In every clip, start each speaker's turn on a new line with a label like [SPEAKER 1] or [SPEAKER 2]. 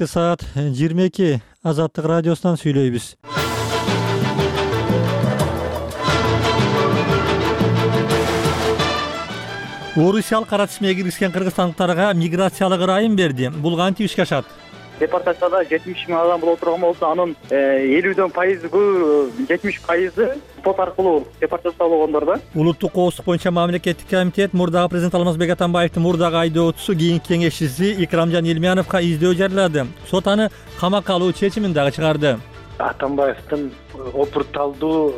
[SPEAKER 1] Саат 22 Азаттык радиосунан сүйлөйбүз. Орусиялык кара тизмеге киргизген кыргызстандыктарга миграциялык ырайым берди. Бул кантип ишке ашат?
[SPEAKER 2] Депортацияда 70 миң адам боло турган болсо, анын 70% сот аркылуу депортация болгондор да.
[SPEAKER 1] Улуттук коопсуздук боюнча мамлекеттик комитет мурдагы президент Алмазбек Атамбаевдин мурдагы айдоочусу кийинки кеңешчиси Икрамжан Илмияновго издөө жарыялады. Сот аны камакка алуу чечимин дагы чыгарды.
[SPEAKER 3] Атамбаевдин опурталдуу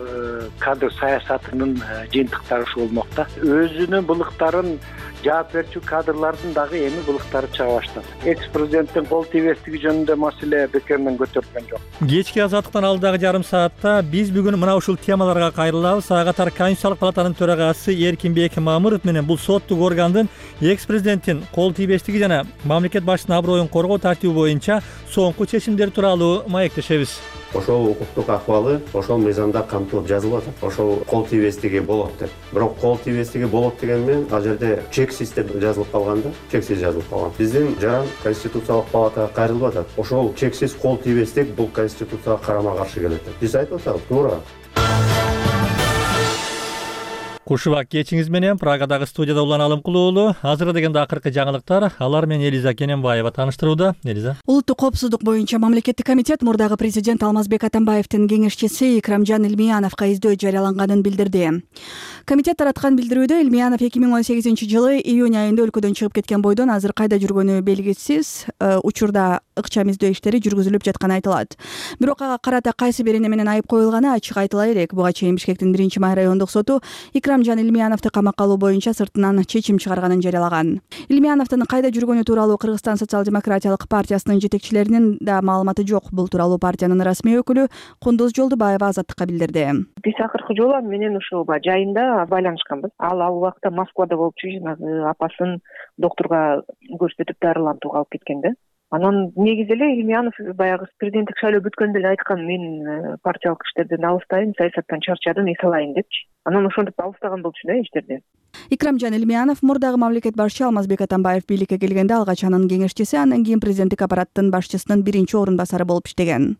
[SPEAKER 3] кадр саясатынын жыйынтыктары ушул болмок да. Өзүнүн былыктарын жаап берчү кадрлардын дагы эми былыктары чыга баштады. Экс-президенттин кол тийбестиги жөнүндө маселе бекеринен көтөрүлгөн жок.
[SPEAKER 1] Кечки Азаттыктан алдагы жарым саатта биз бүгүн мына ушул темаларга кайрылабыз. Ага катар Конституциялык палатанын төрагасы Эркинбек Мамыров менен бул соттук органдын экс-президенттин кол тийбестиги жана мамлекет башчысынын аброюн коргоо тартиби боюнча соңку чечимдер тууралуу маектешебиз.
[SPEAKER 4] Ошол укуктук акыбалы ошол мыйзамда камтылып жазылып атат. Ошол кол тийбестиги болот деп. Бирок кол тийбестиги болот деген менен ал жерде чексиз деп жазылып калган да, чексиз жазылып калган. Биздин жаран Конституциялык палатага кайрылып атат. Ошол чексиз кол тийбестик бул Конституцияга карама-каршы келет деп. Биз айтып атабыз, туура.
[SPEAKER 1] Кушубак кечиңиз менен Прагадагы студияда Улан Алымкул уулу. Азыр дегенде акыркы жаңылыктар. Алар менен Элиза Кененбаева таныштырууда. Элиза.
[SPEAKER 5] Улуттук коопсуздук боюнча мамлекеттик комитет мурдагы президент Алмазбек Атамбаевдин кеңешчиси Икрамжан Илмияновго издөө жарыяланганын билдирди. Комитет тараткан билдирүүдө Илмиянов 2018-жылы июнь айында өлкөдөн чыгып кеткен бойдон азыр кайда жүргөнү белгисиз. Учурда ыкчам издөө иштери жүргүзүлүп жатканы айтылат. Бирок ага карата кайсы бир эне менен айып коюлганы ачык айтыла элек. Буга чейин Бишкектин 1-май райондук соту Икрамжан Илмияновду камакка алуу боюнча сыртынан чечим чыгарганын жарыялаган. Илмияновдун кайда жүргөнү тууралуу Кыргызстан социал-демократиялык партиясынын жетекчилеринин да маалыматы жок. Бул тууралуу партиянын расмий өкүлү Кундуз Жолдубаева Азаттыкка билдирди.
[SPEAKER 6] Биз акыркы жолу менен ушул жайында байланышканбыз. Ал убакта Москвада болчу, жанагы апасын доктурга көрсөтүп дарылантууга алып кеткен да. Анан негизи эле Илмиянов баягы президенттик шайлоо бүткөндө эле айткан, мен партиялык иштерден алыстайм, саясаттан чарчадым, эс алайын депчи. Анан ошентип алыстаган болчу да иштерден.
[SPEAKER 5] Икрамжан Илмиянов мурдагы мамлекет башчы Алмазбек Атамбаев бийликке келгенде алгач анын кеңешчиси, андан кийин президенттик аппараттын башчысынын 1-орун-басары болуп иштеген.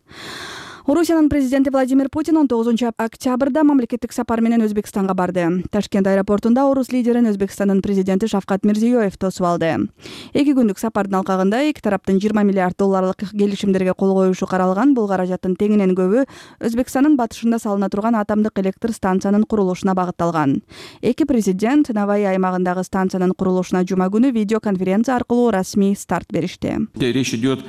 [SPEAKER 5] Орусиянын президенти Владимир Путин 19-октябрда мамлекеттик сапар менен Өзбекстанга барды. Ташкент аэропортунда орус лидерин Өзбекстандын президенти Шавкат Мирзиёев тосуп алды. 2 күндүк сапардын алкагында эки тараптын 20 миллиард долларлык келишимдерге кол коюшу каралган. Бул каражаттын теңинен көбү Өзбекстандын батышында салына турган атомдук электр станциянын курулушуна багытталган. Эки президент Наваи аймагындагы станциянын курулушуна жума күнү видеоконференция аркылуу расмий старт беришти.
[SPEAKER 7] Речь идет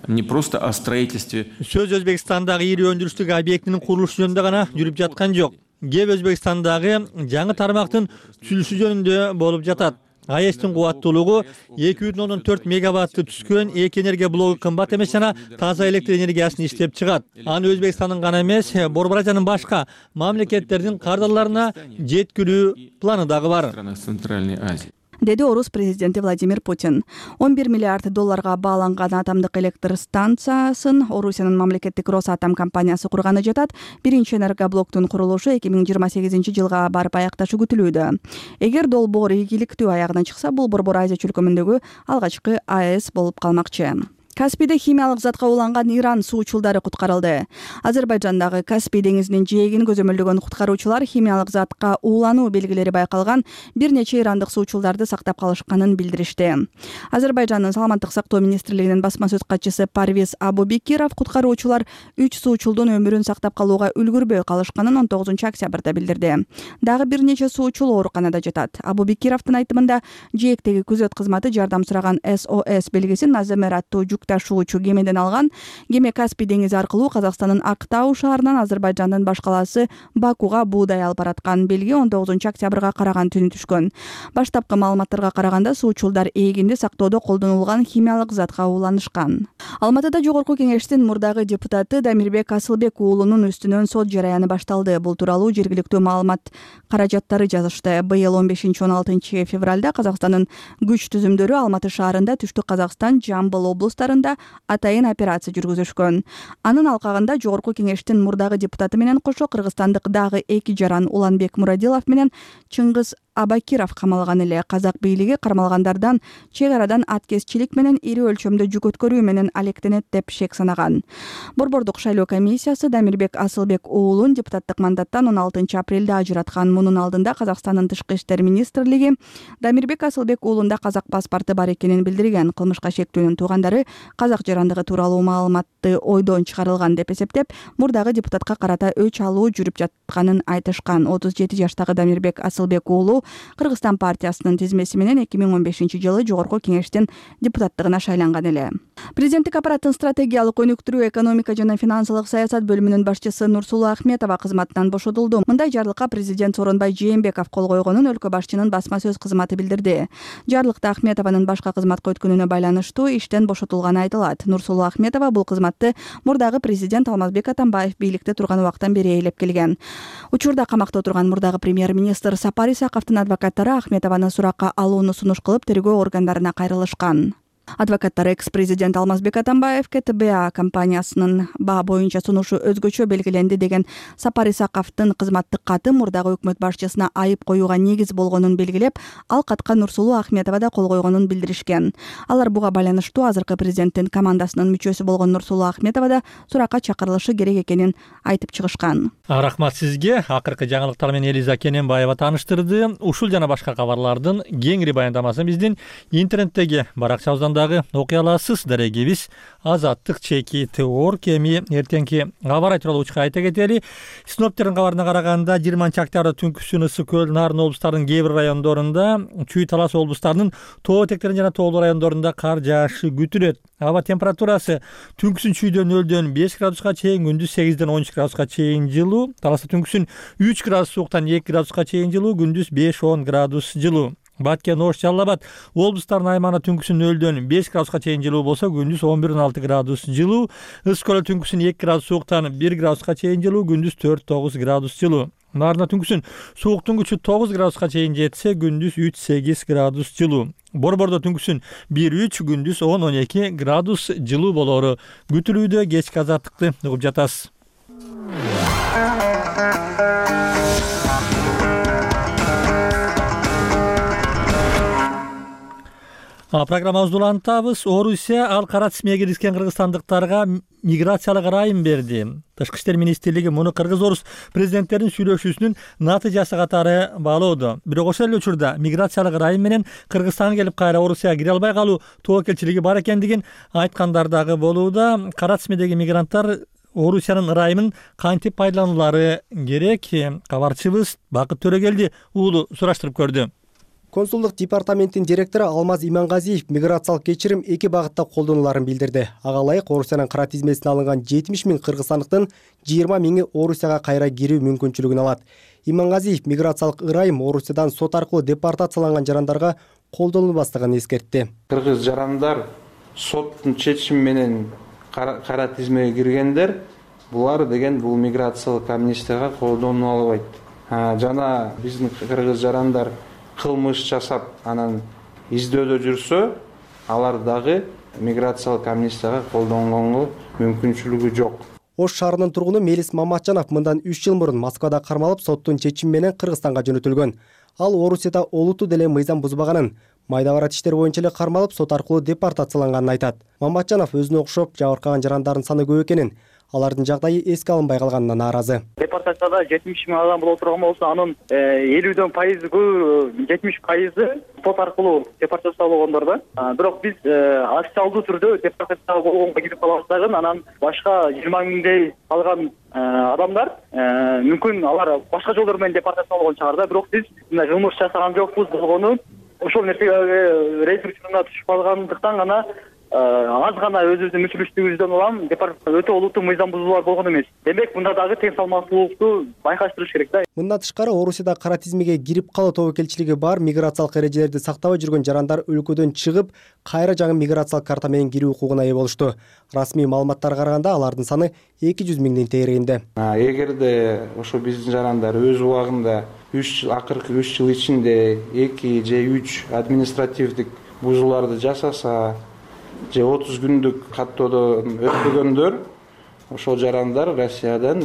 [SPEAKER 7] не просто о строительстве.
[SPEAKER 1] Сөз Өзбекстандагы ири өндүрүштүк объектинин курулушу жөнүндө гана жүрүп жаткан жок. Кеп Өзбекстандагы жаңы тармактын түзүлүшү жөнүндө болуп жатат. АЭСтин кубаттуулугу 2,4 мегаватты түзгөн эки энергия блогу кымбат эмес жана таза электр энергиясын иштеп чыгат. Аны Өзбекстандын гана эмес, Борбор Азиянын башка мамлекеттердин кардарларына жеткирүү планы дагы бар.
[SPEAKER 7] Центральной Азии.
[SPEAKER 5] Деди орус президенти Владимир Путин. 11 миллиард долларга бааланган атомдук электр станциясын Орусиянын мамлекеттик Росатом компаниясы курганы жатат. 1-энергоблоктун курулушу 2028-жылга барып аякташы күтүлүүдө. Эгер долбоор ийгиликтүү аягына чыкса, бул Борбор Азия чөлкөмүндөгү алгачкы АЭС болуп калмакчы. Каспийде химиялык затка уланган Иран суучулдары куткарылды. Азербайжандагы Каспий деңизинин жээгин көзөмөлдөгөн куткаруучулар химиялык затка уулануу белгилери байкалган бир нече ирандык суучулдарды сактап калышканын билдиришти. Азербайжандын саламаттык сактоо министрлигинин басма сөз катчысы Парвиз Абубекиров куткаруучулар 3 суучулдун өмүрүн сактап калууга үлгүрбөй калышканын 19-октябрда билдирди. Дагы бир нече суучул ооруканада жатат. Абубекировдун айтымында жээктеги күзөт кызматы жардам сураган SOS белгисин Наземер аттуу жүк ташуучу кемеден алган. Кеме Каспий деңизи аркылуу Казакстандын Актау шаарынан Азербайжандын баш калаасы Бакуга буудай алып бараткан. Белги 19-октябрга караган түнү түшкөн. Баштапкы маалыматтарга караганда суучулдар эгинди сактоодо колдонулган химиялык затка ууланышкан. Алматыда Жогорку Кеңештин мурдагы депутаты Дамирбек Асылбек уулунун үстүнөн сот жараяны башталды. Бул тууралуу жергиликтүү маалымат каражаттары жазышты. Быйыл 15-16 февралда Казакстандын күч түзүмдөрү Алматы шаарында, Түштүк Казакстан, Жамбыл облустарында атайын операция жүргүзүшкөн. Анын алкагында Жогорку Кеңештин мурдагы депутаты менен кошо кыргызстандык дагы эки жаран Уланбек Мурадилов менен Чыңгыз Абакиров камалган эле. Казак бийлиги кармалгандардан чек арадан аткезчилик менен ири өлчөмдө жүк өткөрүү менен алектенет деп шек санаган. Борбордук шайлоо комиссиясы Дамирбек Асылбек уулун депутаттык мандаттан 16 апрелде ажыраткан. Мунун алдында Казакстандын Тышкы иштер министрлиги Дамирбек Асылбек уулунда казак паспорту бар экенин билдирген. Кылмышка шектүүнүн туугандары казак жарандыгы тууралуу маалыматты ойдон чыгарылган деп эсептеп, мурдагы депутатка карата өч алуу жүрүп жатканын айтышкан. 37 жаштагы Дамирбек Асылбек уулу Кыргызстан партиясынын тизмеси менен 2015-жылы жогорку кеңештин депутаттыгына шайланган эле. Президенттик аппараттын стратегиялык өнүктүрүү, экономика жана финансылык саясат бөлүмүнүн башчысы Нурсулуу Ахметова кызматынан бошотулду. Мындай жарлыкка президент Сооронбай Жээнбеков кол койгонун өлкө башчынын басма сөз кызматы билдирди. Жарлыкта Ахметованын башка кызматка өткөнүнө байланыштуу иштен бошотулганы айтылат. Нурсулуу Ахметова бул кызматты мурдагы президент Алмазбек Атамбаев бийликте турган убактан бери ээлеп келген. Учурда камакта отурган мурдагы премьер-министр Сапар Исаковдун адвокаттары Ахметованы суракка алууну сунуш кылып тергөө органдарына кайрылышкан. Адвокаттар экс-президент Алмазбек Атамбаевке ТБА компаниясынын баа боюнча сунушу өзгөчө белгиленди деген Сапар Исаковдун кызматтык каты мурдагы өкмөт башчысына айып коюуга негиз болгонун белгилеп, ал катка Нурсулуу Ахметова да кол койгонун билдиришкен. Алар буга байланыштуу азыркы президенттин командасынын мүчөсү болгон Нурсулуу Ахметова да суракка чакырылышы керек экенин айтып чыгышкан.
[SPEAKER 1] Рахмат сизге. Акыркы жаңылыктар менен Элиза Кененбаева тааныштырды. Ушул жана башка кабарлардын кеңири баяндамасын биздин интернеттеги баракчабыздан окуй аласыз. Дарегибиз azattik.org. Эми эртеңки кабар айтылуу учка айта кетели. Синоптиктердин кабарына караганда 20-октябрда түнкүсүн ысык көл, Нарын облустарынын кээ бир райондорунда, Чүй Талас облустарынын тоо этектерин жана тоолуу райондорунда кар жаашы күтүлөт. Аба температурасы түнкүсүн Чүйдөн 0-дөн 5 градуска чейин, күндүз 8-ден 13 градуска чейин жылуу. Таласта түнкүсүн 3 градус сууктан 2 градуска чейин жылуу, күндүз 5-10 градус жылуу. Баткен, Ош, Жалал Абад облустарынын аймагында түнкүсүн 0-дөн 5 градуска чейин жылуу болсо, күндүз 11-16 градус жылуу. Ысык көл түнкүсүн 2 градус сууктан 1 градуска чейин жылуу, күндүз 4-9 градус жылуу. Нарында түнкүсүн сууктун күчү 9 градуска чейин жетсе, күндүз 3-8 градус жылуу. Борбордо түнкүсүн 1-3, күндүз 10-12 градус жылуу болору күтүлүүдө. Кечки азаттыкты угуп жатасыз. Программабызды улантабыз. Орусия ал кара тизмеге киришкен кыргызстандыктарга миграциялык ырайым берди. Тышкы иштер министрлиги муну кыргыз-орус президенттеринин сүйлөшүүсүнүн натыйжасы катары баалоодо. Бирок ошол эле учурда миграциялык ырайым менен Кыргызстанга келип кайра Орусияга кире албай калуу тобокелчилиги бар экендигин айткандар дагы болууда. Кара тизмедеги мигранттар Орусиянын ырайымын кантип пайдаланулары керек? Кабарчыбыз Бакыт Төрөгелди уулу сураштырып көрдү.
[SPEAKER 8] Консулдук департаменттин директору Алмаз Имангазиев миграциялык кечирим 2 багытта колдонуларын билдирди. Ага ылайык Орусиянын кара тизмесине алынган 70 000 кыргызстандыктын 20 000 Орусияга кайра кирүү мүмкүнчүлүгүн алат. Имангазиев миграциялык ырайым Орусиядан сот аркылуу депортацияланган жарандарга колдонулбастыгын эскертти.
[SPEAKER 9] Кыргыз жарандар соттун чечими менен кара тизмеге киргендер, булар деген бул миграциялык амнистияга колдонула албайт. Жана биздин кыргыз жарандар кылмыш жасап, анан издөөдө жүрсө, алар дагы миграциялык амнистияга колдонгонго мүмкүнчүлүгү жок.
[SPEAKER 8] Ош шаарынын тургуну Мелис Маматжанов мындан 3 жыл мурун Москвада кармалып, соттун чечими менен Кыргызстанга жөнөтүлгөн. Ал Орусияда олуттуу деле мыйзам бузбаганын, майда барат иштер боюнча эле кармалып, сот аркылуу депортацияланганын айтат. Маматжанов өзүнө окшоп жабыркаган жарандардын саны көп экенин, алардын жагдайы эске алынбай калганына нааразы.
[SPEAKER 2] Депортацияда 70 000 адам болуп турган болсо, анын 50дөн пайызы, 70% сот аркылуу депортациялангондор да. Бирок биз официалдуу түрдө депортация болгонго кирип калабыз дагы, анан башка 20 000дей калган адамдар мүмкүн алар башка жолдор менен депортациялангон чыгар да. Бирок биз мындай кылмыш жасаган жокпуз болгону ошол нерсеге рейд учуруна түшүп калгандыктан гана аз гана өзүбүздүн мүчүлүштүгүбүздөн улам өтө олуттуу мыйзам бузуулар болгон эмес. Демек мында дагы тең салмактуулукту байкаштырыш керек да.
[SPEAKER 8] Мындан тышкары Орусияда кара тизмеге кирип калуу тобокелчилиги бар миграциялык эрежелерди сактабай жүргөн жарандар өлкөдөн чыгып, кайра жаңы миграциялык карта менен кирүү укугуна ээ болушту. Расмий маалыматтарга караганда алардын саны 200 000дин тегерегинде.
[SPEAKER 9] Эгерде ошо биздин жарандар өз убагында акыркы 3 жыл ичинде 2 же 3 административдик бузууларды жасаса, же 30 күндүк каттоодон өтпөгөндөр, ошол жарандар Россиядан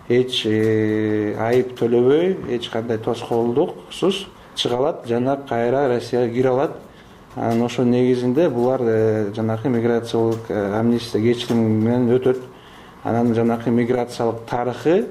[SPEAKER 9] эч айып төлөбөй, эч кандай тоскоолдуксуз чыга алат жана кайра Россияга кире алат. Анан ошо негизинде булар жанакы миграциялык амнистия кечирим менен өтөт. Анан жанакы миграциялык тарыхы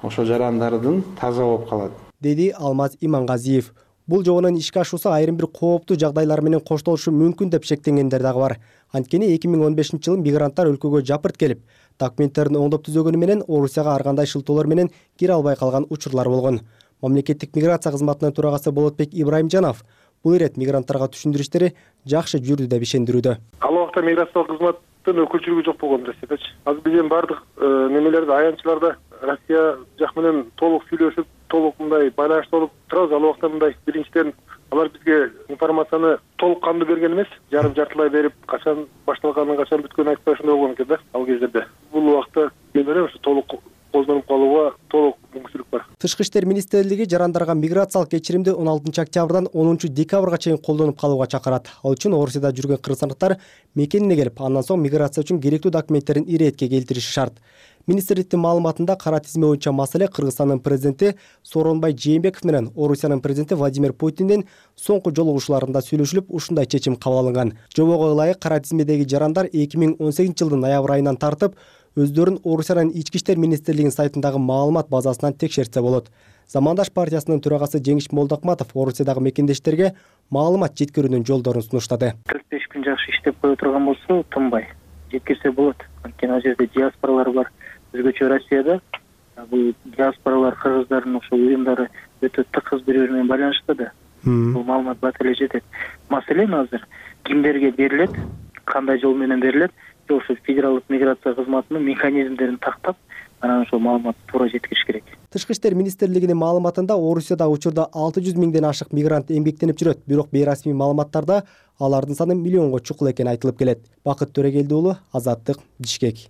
[SPEAKER 9] ошо жарандардын таза болуп калат,
[SPEAKER 8] деди Алмаз Имангазиев. Бул жобонун ишке ашуусу айрым бир кооптуу жагдайлар менен коштолушу мүмкүн деп шектенгендер дагы бар. Анткени 2015-жылы мигранттар өлкөгө жапырт келип, документтерин оңдоп түзөгөнү менен Орусияга ар кандай шылтоолор менен кире албай калган учурлар болгон. Мамлекеттик миграция кызматынын төрагасы Болотбек Ибраимжанов бул ирет мигранттарга түшүндүрүштери жакшы жүрдү деп ишендирүүдө.
[SPEAKER 10] Ал убакта миграциялык кызматтын өкүлчүлүгү жок болгон десепечи. Азыр биздин бардык немелерде аянтчыларда Россия жак менен толук сүйлөшүп, толук мындай байланышта болуп турабыз. Ал убакта мындай биринчиден алар бизге информацияны толук кандуу берген эмес, жартылай берип, качан башталганын, качан бүткөнүн айтпай ошондой болгон экен да ал кездерде. Бул убакта мен ойлойм ушу толук колдонуп калууга толук мүмкүнчүлүк бар.
[SPEAKER 8] Тышкы иштер министрлиги жарандарга миграциялык кечиримди 16 октябрдан 10 декабрга чейин колдонуп калууга чакырат. Ал үчүн Орусияда жүргөн кыргызстандыктар мекенине келип, андан соң миграция үчүн керектүү документтерин иретке келтириши шарт. Министрликтин маалыматында кара тизме боюнча маселе Кыргызстандын президенти Сооронбай Жээнбеков менен Орусиянын президенти Владимир Путиндин соңку жолугушууларында сүйлөшүлүп, ушундай чечим кабыл алынган. Жобого ылайык кара тизмедеги жарандар 2018-жылдын ноябрь айынан тартып өздөрүн Орусиянын ички иштер министрлигинин сайтындагы маалымат базасынан текшертсе болот. Замандаш партиясынын төрагасы Жеңиш Молдокматов Орусиядагы мекендештерге маалымат жеткирүүнүн жолдорун сунуштады.
[SPEAKER 11] 45 күн жакшы иштеп кое турган болсо, тынбай жеткирсе болот. Анткени ал жерде диаспоралар бар. Өзгөчө Россияда бул диаспоралар кыргыздардын ошо уюмдары өтө тыкыз бири-бири менен байланышта да. Бул маалымат бат эле жетет. Маселен азыр кимдерге берилет, кандай жол менен берилет, ошо федералдык миграция кызматынын механизмдерин тактап, анан ошол маалымат туура жеткириш керек.
[SPEAKER 8] Тышкы иштер министрлигинин маалыматында Орусиядагы учурда 600 миңден ашык мигрант эмгектенип жүрөт, бирок бейрасмий маалыматтарда алардын саны миллионго чукул экени айтылып келет. Бакыт Төрегелди уулу, Азаттык, Бишкек.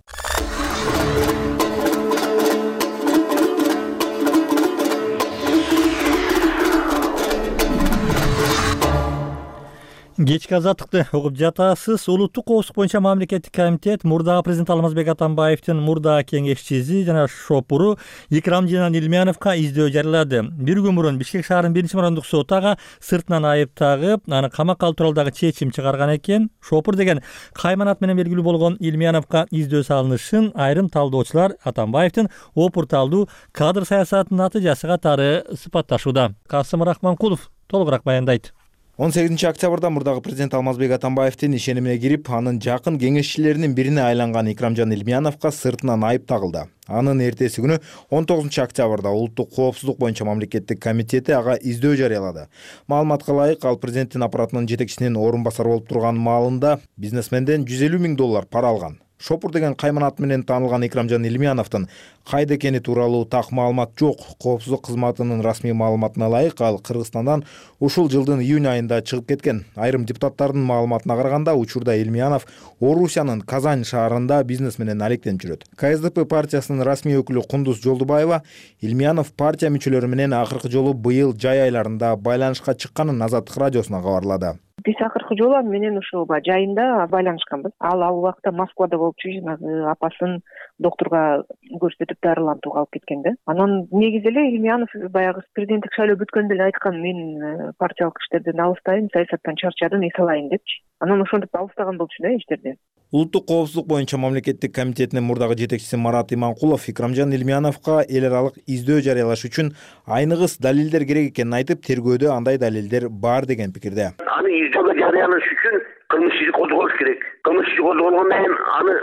[SPEAKER 1] Кечки азаттыкты угуп жатасыз. Улуттук коопсуздук боюнча мамлекеттик комитет мурдагы президент Алмазбек Атамбаевдин мурдагы кеңешчиси жана шопуру Икрамжан Илмяновго издөө жарыялады. Бир күн мурун Бишкек шаарынын 1-мурондук соту ага сыртынан айып тагып, аны камакка алуу тууралдагы чечим чыгарган экен. Шопур деген кайманат менен белгилүү болгон Илмяновго издөө салынышын айрым талдоочулар Атамбаевдин опурталдуу кадр саясатынын натыйжасы катары сыпатташууда. Касым Рахманкулов толугураак баяндайт.
[SPEAKER 12] 18 октябрда мурдагы президент Алмазбек Атамбаевдин ишенимине кирип, анын жакын кеңешчилеринин бирине айланган Икрамжан Илмяновго сыртынан айып тагылды. Анын эртеси күнү 19 октябрда улуттук коопсуздук боюнча мамлекеттик комитети ага издөө жарыялады. Маалыматка ылайык, ал президенттин аппаратынын жетекчисинин орун басары болуп турган маалында бизнесменден $150 000 пара алган. Шопур деген кайманат менен таанылган Икрамжан Илмяновдун кайда экени тууралуу так маалымат жок. Коопсуздук кызматынын расмий маалыматына ылайык, ал Кыргызстандан ушул жылдын июнь айында чыгып кеткен. Айрым депутаттардын маалыматына караганда, учурда Илмянов Орусиянын Казань шаарында бизнес менен алектенип жүрөт. КСДП партиясынын расмий өкүлү Кундуз Жолдубаева Илмянов партия мүчөлөрү менен акыркы жолу быйыл жай айларында байланышка чыкканын Азаттык радиосуна кабарлады.
[SPEAKER 6] Биз акыркы жолу менен ушул жайында байланышканбыз. Ал убакта Москвада болуп жанагы апасын доктурга көрсөтүп дарылантууга алып кеткен да. Анан негизи эле Илмянов баягы президенттик шайлоо бүткөндө эле айткан, мен партиялык иштерден алыстайм, саясаттан чарчадым, эс алайын депчи. Анан ошентип алыстаган болчу да иштерден.
[SPEAKER 12] Улуттук коопсуздук боюнча мамлекеттик комитетинин мурдагы жетекчиси Марат Иманкулов Икрамжан Илмяновго эл аралык издөө жарыялаш үчүн айныгыс далилдер керек экенин айтып, тергөөдө андай далилдер бар деген пикирде.
[SPEAKER 13] Аны издөө жарыялаш үчүн кылмыш иши козголуш керек. Кылмыш иши козголгондон кийин аны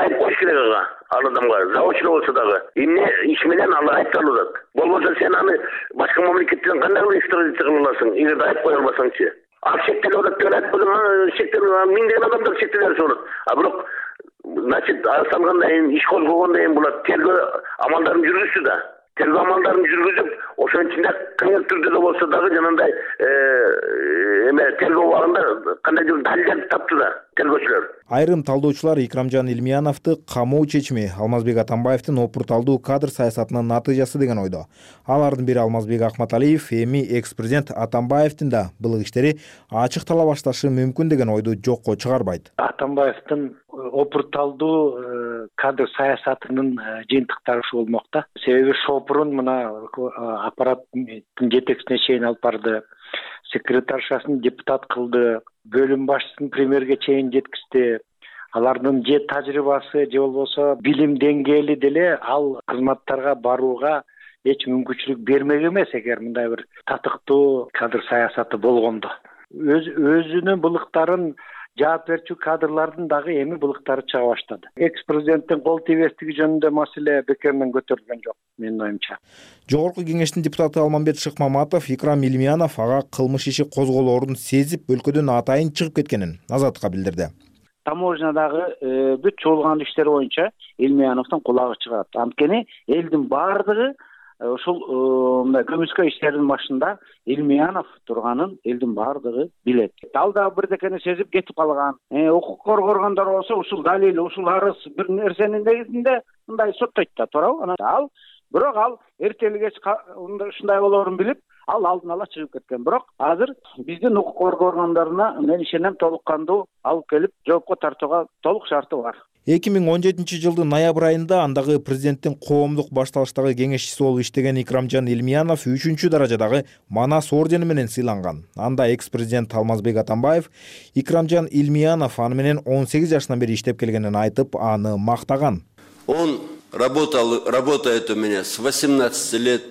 [SPEAKER 13] айып коюш керек ага. Ал адамга заводчу болсо дагы эмне иш менен ал айыпталат. Болбосо сен аны башка мамлекеттен кандай экстрадиция кыла аласың, эгерде айып кое албасаңчы. Ал шектелип атат деп айтып, шектелип миңдеген адамдар шектелип болот. А бирок значит салгандан кийин иш козголгондон кийин булар тергөө амалдарын жүргүздү да. Тергөө амалдарын жүргүзүп, ошонун ичинде кыйын түрдө да болсо дагы жанагындай тергөө убагында кандайдыр далилдер тапту да тергөөчүлөр.
[SPEAKER 12] Айрым талдоочулар Икрамжан Илмяновду камоо чечими Алмазбек Атамбаевдин опурталдуу кадр саясатынын натыйжасы деген ойдо. Алардын бири Алмазбек Акматалиев эми экс-президент Атамбаевдин да былык иштери ачык тала башташы мүмкүн деген ойду жокко чыгарбайт.
[SPEAKER 3] Атамбаевдин опурталдуу кадр саясатынын жыйынтыктары ушу болмокта. Себеби шопурун мына аппараттын жетекчисине чейин алып барды, секретаршасын депутат кылды, бөлүм башчысын премьерге чейин жеткизди. Алардын же тажрыйбасы же болбосо билим деңгээли деле ал кызматтарга барууга эч мүмкүнчүлүк бермек эмес, эгер мындай бир татыктуу кадр саясаты болгондо. Өзүнүн былыктарын жаап берчү кадрлардын дагы эми былыктары чыга баштады. Экс-президенттин кол тийбестиги жөнүндө маселе бекеринен көтөрүлгөн жок, менин оюмча.
[SPEAKER 12] Жогорку кеңештин депутаты Алмамбет Шыкмаматов Икрам Илмиянов ага кылмыш иши козголоорун сезип, өлкөдөн атайын чыгып кеткенин Азаттыкка билдирди.
[SPEAKER 14] Таможнядагы бүт чогулган иштер боюнча Илмияновдун кулагы чыгат. Анткени элдин баардыгы ушул мындай көмүскө иштердин башында Илмиянов турганын элдин баардыгы билет. Ал да бирдекени сезип кетип калган. Укук коргогондор болсо ушул далил, ушул арыз бир нерсенин негизинде мындай соттойт да, туурабы? Бирок ал эртели кеч ушундай болоорун билип, ал алдын ала чыгып кеткен. Бирок азыр биздин укук коргоо органдарына мен ишенем толук кандуу алып келип жоопко тартууга толук шарты бар.
[SPEAKER 12] 2017 жылдын ноябрь айында андагы президенттин коомдук башталыштагы кеңешчиси болуп иштеген Икрамжан Илмиянов 3-чү даражадагы Манас ордени менен сыйланган. Анда экс-президент Алмазбек Атамбаев Икрамжан Илмиянов аны менен 18 жашынан бери иштеп келгенин айтып, аны мактаган.
[SPEAKER 15] Он работает у меня с 18 лет.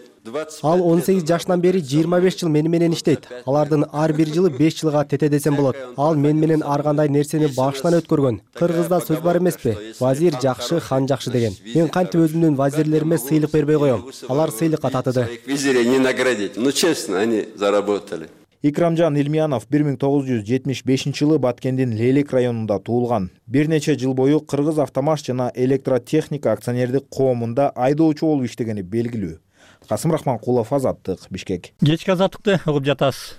[SPEAKER 8] Ал 18 жашынан бери 25 жыл мени менен иштейт. Алардын ар бир жылы 5 жылга тете десем болот. Ал мен менен ар кандай нерсени башынан өткөргөн. Кыргызда сөз бар эмеспи? Вазир жакшы, хан жакшы деген. Мен кантип өзүмдүн вазирлериме сыйлык бербей коем. Алар сыйлыкка татыды.
[SPEAKER 15] Визирей не наградить. Ну честно, они заработали.
[SPEAKER 12] Икрамжан Илмиянов 1975 жылы Баткендин Лелек районунда туулган. Бир нече жыл бою Кыргыз автомаш жана электротехника акционердик коомунда айдоочу болуп иштегени белгилүү. Касым Рахманкулов, Азаттык, Бишкек.
[SPEAKER 1] Кечки азаттыкты угуп жатасыз.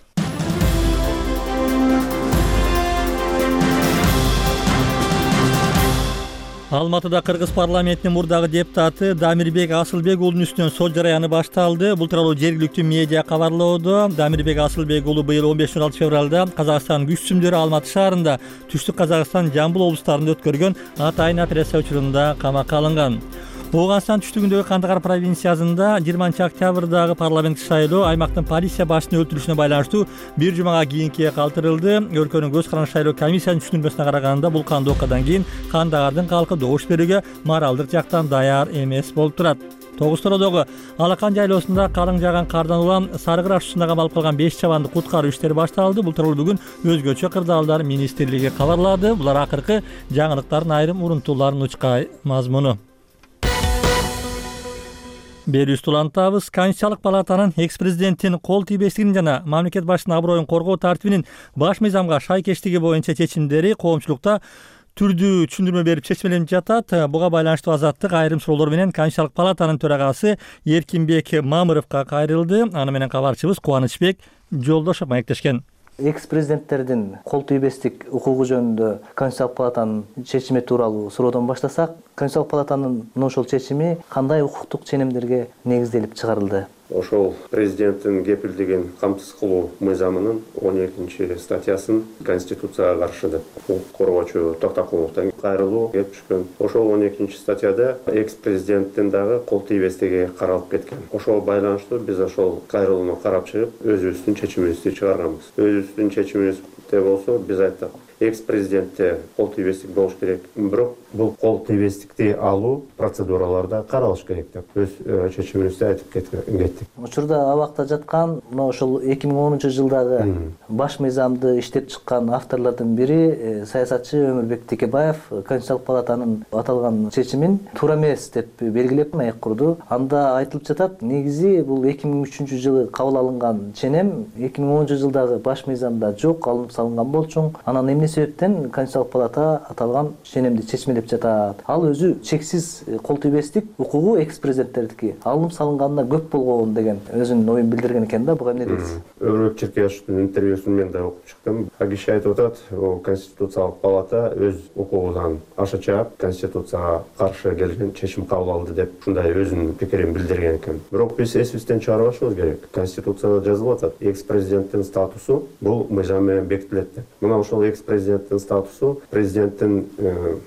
[SPEAKER 1] Алматыда Кыргыз парламентинин мурдагы депутаты Дамирбек Асылбек уулунун үстүнөн сот жараяны башталды. Бул тууралуу жергиликтүү медиа кабарлоодо. Дамирбек Асылбек уулу быйыл 15-16 февралда Казакстан күч сүмдөрү Алматы шаарында, Түштүк Казакстан, Жамбыл облустарында өткөргөн атайын операция учурунда камакка алынган. Ооганстан түштүгүндөгү Кандагар провинциясында 20 октябрдагы парламенттик шайлоо аймактын полиция башчысынын өлтүрүлүшүнө байланыштуу бир жумага кийинкиге калтырылды. Өлкөнүн көз каранды шайлоо комиссиянын түшүндүрмөсүнө караганда бул кандуу окуядан кийин Кандагардын калкы добуш берүүгө моралдык жактан даяр эмес болуп турат. Тогуз-Тородогу Алакан жайлоосунда калың жааган кардан улам Сарыгыр ашуусунда камалып калган 5 чабанды куткаруу иштери башталды. Бул тууралуу бүгүн өзгөчө кырдаалдар министрлиги кабарлады. Булар акыркы жаңылыктардын айрым урунтууларын учкай мазмуну. Берүүбүздү улантабыз. Конституциялык палатанын экс-президенттин кол тийбестигин жана мамлекет башчысынын аброюн коргоо тартибинин баш мыйзамга шайкештиги боюнча чечимдери коомчулукта түрдүү түшүндүрмө берип чечмеленип жатат. Буга байланыштуу Азаттык айрым суроолор менен Конституциялык палатанын төрагасы Эркинбек Мамыровго кайрылды. Аны менен кабарчыбыз Кубанычбек Жолдошов маектешкен.
[SPEAKER 16] Экс-президенттердин кол тийбестик укугу жөнүндө Конституциялык палатанын чечими тууралуу суроодон баштасак, Конституциялык палатанын ошол чечими кандай укуктук ченемдерге негизделип чыгарылды?
[SPEAKER 4] Ошол президенттин кепилдигин камсыз кылуу мыйзамынын 12 статьясын Конституцияга каршы деп укук коргоочу Токтокуловдон кайрылуу келип түшкөн. Ошол 12 статьяда экс-президенттин дагы кол тийбестиги каралып кеткен. Ошол байланыштуу биз ошол кайрылууну карап чыгып, өзүбүздүн чечимибизди чыгарганбыз. Өзүбүздүн чечимибизде болсо биз айттык, экс-президентте кол тийбестик болуш керек. Бирок бул кол тийбестикти алуу процедураларда каралыш керек деп өз чечимибизди айтып кеттик.
[SPEAKER 16] Учурда абакта жаткан ошол 2010 жылдагы баш мыйзамды иштеп чыккан авторлордун бири саясатчы Өмүрбек Текебаев Конституциялык палатанын аталган чечимин туура эмес деп белгилеп маек курду. Анда айтылып жатат, негизи бул 2003 жылы кабыл алынган ченем 2010 жылдагы баш мыйзамда жок, алынып салынган болчу. Анан эмне себептен Конституциялык палата аталган ченемди чечмелеп жатат? Ал өзү чексиз кол тийбестик укугу экс-президенттердики алынып салынганына көп болгон деген өзүнүн оюн билдирген экен да. Буга эмне дейсиз?
[SPEAKER 4] Өрөк Черкешевдин интервьюсун мен да окуп чыктым. Киши айтып атат, Конституциялык палата өз укугунан аша чаап Конституцияга каршы келген чечим кабыл алды деп ушундай өзүнүн пикирин билдирген экен. Бирок биз эсибизден чыгарбашыбыз керек. Конституцияда жазылып атат, экс-президенттин статусу бул мыйзам менен бекитилет деп. Мына ошол экс-президенттин статусу президенттин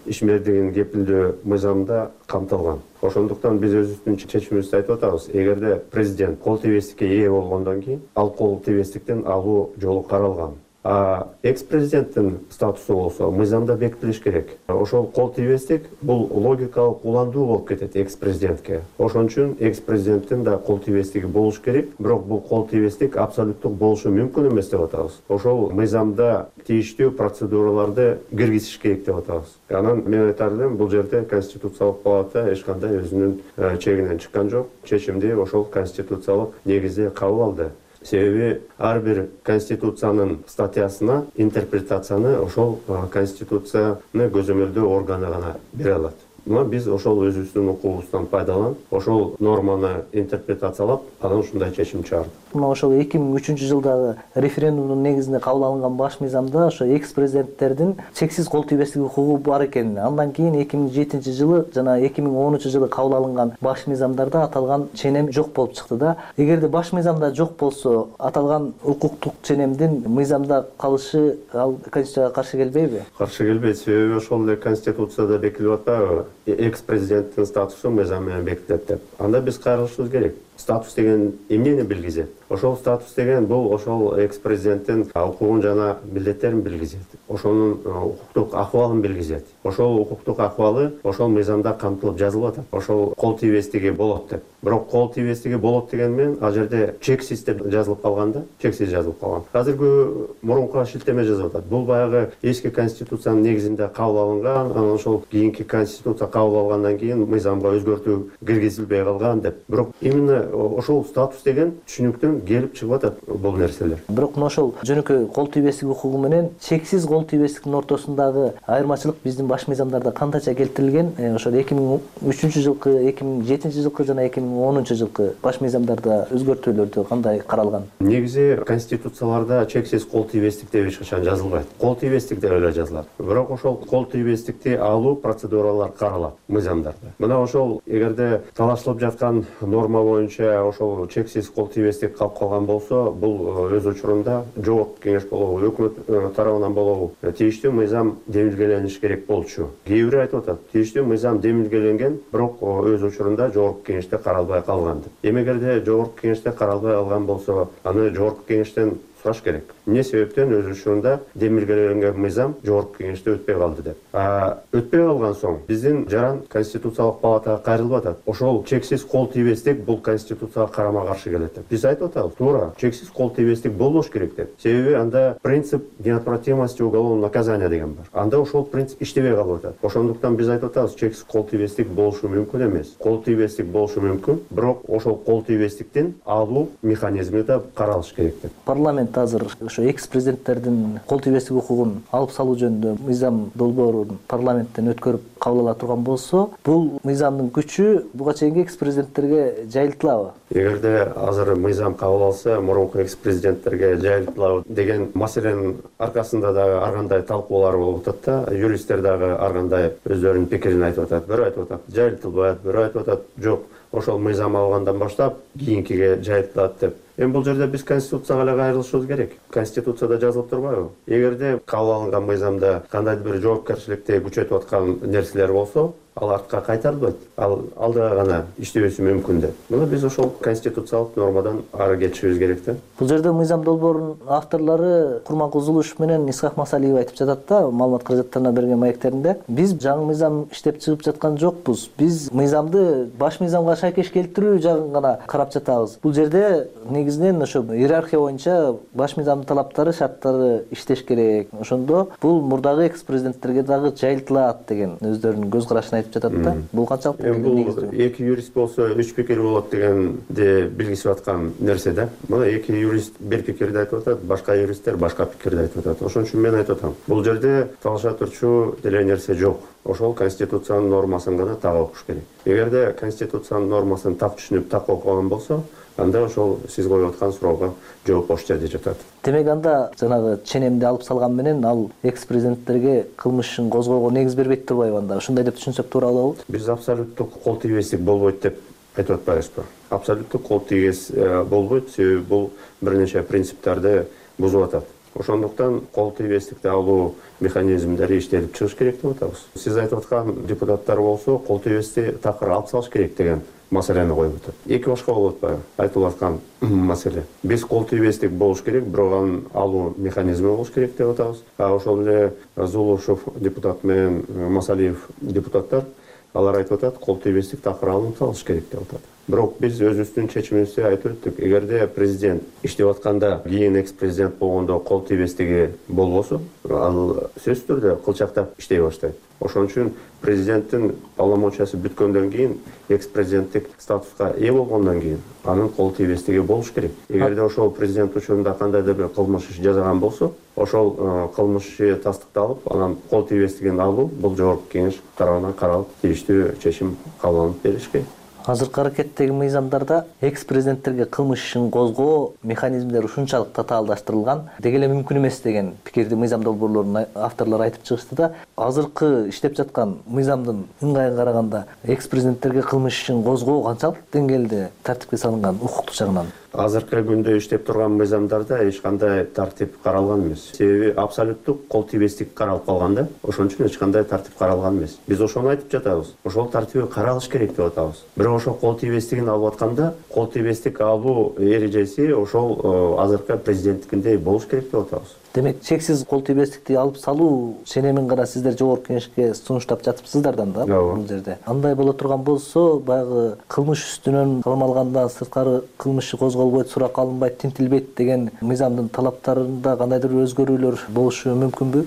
[SPEAKER 4] ишмердигин кепилдөө мыйзамда камтылган. Ошондуктан биз өзүбүздүн чечимибизди айтып атабыз. Эгерде президент кол тийбестикке ээ болгондон кийин ал кол тийбестиктен алуу жолу каралган. Экс президенттин статусу болсо мыйзамда бекитилиш керек. Ошол кол тийбестик бул логикалык уландуу болуп кетет экс президентке. Ошон үчүн экс президенттин да кол тийбестиги болуш керек, бирок бул кол тийбестик абсолюттук болушу мүмкүн эмес деп атабыз. Ошол мыйзамда тийиштүү процедураларды киргизиш керек деп атабыз. Анан мен айтар элем, бул жерде Конституциялык палата эч кандай өзүнүн чегинен чыккан жок. Чечимди ошол конституциялык негизде кабыл алды. Себеби ар бир конституциянын статьясына интерпретацияны ошол конституцияны көзөмөлдөө органы гана бере алат. Мына биз ошол өзүбүздүн укугубуздан пайдаланып, ошол норманы интерпретациялап, анан ушундай чечим чыгардык.
[SPEAKER 16] Мына ошол 2003-жылдагы референдумдун негизинде кабыл алынган баш мыйзамда ошо экс президенттердин чексиз кол тийбестик укугу бар экенин, андан кийин 2007-жылы жана 2010-жылы кабыл алынган баш мыйзамдарда аталган ченем жок болуп чыкты да. Эгерде баш мыйзамда жок болсо, аталган укуктук ченемдин мыйзамда калышы ал Конституцияга каршы келбейби?
[SPEAKER 4] Каршы келбейт, себеби ошол эле Конституцияда бекитилип атпайбы? Экс президенттин статусу мыйзам менен бекитилет деп. Анда биз кайрылышыбыз керек. Статус деген эмнени билгизет? Ошол статус деген бул ошол экс президенттин укугун жана милдеттерин билгизет. Ошонун укуктук акыбалын билгизет. Ошол укуктук акыбалы ошол мыйзамда камтылып жазылып атат. Ошол кол тийбестиги болот деп. Бирок кол тийбестиги болот деген менен ал жерде чексиз деп жазылып калган да, чексиз жазылып калган. Азыркы мурунку шилтеме жазып атат. Бул баягы эски конституциянын негизинде кабыл алынган, анан ошол кийинки конституция кабыл алгандан кийин мыйзамга өзгөртүү киргизилбей калган деп. Бирок именно ошол статус деген түшүнүктөн келип чыгып атат бул нерселер.
[SPEAKER 16] Бирок ошол жөнөкөй кол тийбестик укугу менен чексиз кол тийбестиктин ортосундагы айырмачылык биздин баш мыйзамдарда кандайча келтирилген? Ошол 2003-жылкы, 2007-жылкы жана 2010-жылкы баш мыйзамдарда өзгөртүүлөрдө кандай каралган?
[SPEAKER 4] Негизи конституцияларда чексиз кол тийбестик деп эч качан жазылбайт. Кол тийбестик деп эле жазылат. Бирок ошол кол тийбестикти алуу процедуралар каралат мыйзамдарда. Мына ошол эгерде талашталып жаткан норма боюнча ошол чексиз кол тийбестик калып калган болсо, бул өз учурунда жогорку кеңеш болобу, өкмөт тарабынан болобу, тийиштүү мыйзам демилгелениш керек болчу. Кээ бири айтып атат, тийиштүү мыйзам демилгеленген, бирок өз учурунда жогорку кеңеште каралбай калган деп. Эмегерде жогорку кеңеште каралбай калган болсо, аны жогорку кеңештен сураш керек. Эмне себептен өз учурунда демилгеленген мыйзам жогорку кеңеште өтпөй калды деп. Өтпөй калган соң биздин жаран Конституциялык палатага кайрылып атат. Ошол чексиз кол тийбестик бул Конституцияга карама-каршы келет деп. Биз айтып атабыз, туура, чексиз кол тийбестик болбош керек деп. Себеби анда принцип неотвратимости уголовного наказания деген бар. Анда ошол принцип иштебей калып атат. Ошондуктан биз айтып атабыз, чексиз кол тийбестик болушу мүмкүн эмес. Кол тийбестик болушу мүмкүн, бирок ошол кол тийбестиктин алуу механизми да каралыш керек деп.
[SPEAKER 16] Парламент азыр ошо экс президенттердин кол тийбестик укугун алып салуу жөнүндө мыйзам долбоорун парламенттен өткөрүп кабыл ала турган болсо, бул мыйзамдын күчү буга чейинки экс президенттерге жайылтылабы?
[SPEAKER 4] Эгерде азыр мыйзам кабыл алса, мурунку экс президенттерге жайылтылабы деген маселенин аркасында дагы ар кандай талкуулар болуп атат да, юристтер дагы ар кандай өздөрүнүн пикирин айтып атат. Бирөө айтып атат, жайылтылбайт, бирөө айтып атат, жок, ошол мыйзам алгандан баштап кийинкиге жайылтылат деп. Эми бул жерде биз Конституцияга эле кайрылышыбыз керек. Конституцияда жазылып турбайбы? Эгерде кабыл алынган мыйзамда кандайдыр бир жоопкерчиликти күчөтүп аткан нерселер болсо, ал артка кайтарылбайт. Ал алдыга гана иштебеси мүмкүн деп. Мына биз ошол конституциялык нормадан ары кетишибиз керек да.
[SPEAKER 16] Бул жерде мыйзам долбоорунун авторлору Курманкул Зулушев менен Исхак Масалиев айтып жатат да, маалымат каражаттарына берген маектеринде. Биз жаңы мыйзам иштеп чыгып жаткан жокпуз. Биз мыйзамды баш мыйзамга шайкеш келтирүү жагын гана карап жатабыз. Бул жерде негизинен ошо иерархия боюнча баш мыйзамдын талаптары, шарттары иштеш керек. Ошондо бул мурдагы экс президенттерге дагы жайылтылат деген өздөрүнүн көз карашын айтып жатат да. Бул канчалык
[SPEAKER 4] негиздүү? Эки юрист болсо үч пикир болот дегенди билгизип аткан нерсе да. Мына эки юрист бир пикирди айтып атат, башка юристтер башка пикирди айтып атат. Ошон үчүн мен айтып атам, бул жерде талаша турчу деле нерсе жок. Ошол конституциянын нормасын гана так окуш керек. Эгерде конституциянын нормасын так түшүнүп, так окуган болсо, анда ошол сиз коюп аткан суроого жооп ошол жерде жатат.
[SPEAKER 16] Демек анда жанагы ченемди алып салган менен ал экс президенттерге кылмыш ишин козгоого негиз бербейт турбайбы анда? Ушундай деп түшүнсөк туура болобу?
[SPEAKER 4] Биз абсолюттук кол тийбестик болбойт деп айтып атпайбызбы? Абсолюттук кол тийбес болбойт, себеби бул бир нече принциптерди бузуп атат. Ошондуктан кол тийбестикти алуу механизмдери иштелип чыгыш керек деп атабыз. Сиз айтып аткан депутаттар болсо кол тийбести такыр алып салыш керек деген маселени коюп атат. Эки башка болуп атпайбы айтылып аткан маселе? Биз кол тийбестик болуш керек, бирок анын алуу механизми болуш керек деп атабыз. Ошол эле Зулушев депутат менен Масалиев депутаттар алар айтып атат, кол тийбестик такыр алынып салыш керек деп атат. Бирок биз өзүбүздүн чечимибизди айтып өттүк. Эгерде президент иштеп атканда кийин экс-президент болгондо кол тийбестиги болбосо, ал сөзсүз түрдө кылчактап иштей баштайт. Ошон үчүн президенттин полномочиясы бүткөндөн кийин, экс-президенттик статуска ээ болгондон кийин анын кол тийбестиги болуш керек. Эгерде ошол президент учурунда кандайдыр бир кылмыш иш жасаган болсо, ошол кылмыш иши тастыкталып, анан кол тийбестигин алуу бул жогорку кеңеш тарабынан каралып, тийиштүү чечим кабыл алынып берилиш керек.
[SPEAKER 16] Азыркы аракеттеги мыйзамдарда экс-президенттерге кылмыш ишин козгоо механизмдери ушунчалык татаалдаштырылган, деги эле мүмкүн эмес деген пикирди мыйзам долбоорлорунун авторлору айтып чыгышты да. Азыркы иштеп жаткан мыйзамдын ыңгайын караганда экс-президенттерге кылмыш ишин козгоо канчалык деңгээлде тартипке салынган укуктук жагынан?
[SPEAKER 4] Азыркы күндө иштеп турган мыйзамдарда эч кандай тартип каралган эмес. Себеби абсолюттук кол тийбестик каралып калган да. Ошон үчүн эч кандай тартип каралган эмес. Биз ошону айтып жатабыз. Ошол тартиби каралыш керек деп атабыз. Бирок ошол кол тийбестигин алып атканда, кол тийбестик алуу эрежеси ошол азыркы президенттикиндей болуш керек деп атабыз.
[SPEAKER 16] Демек, чексиз кол тийбестикти алып салуу ченемин гана сиздер жогорку кеңешке сунуштап жатыпсыздардан да бул жерде. Андай боло турган болсо, баягы кылмыш үстүнөн кылмалгандан сырткары кылмыш иши козголбойт, суракка алынбайт, тинтилбейт деген мыйзамдын талаптарында кандайдыр өзгөрүүлөр болушу мүмкүнбү?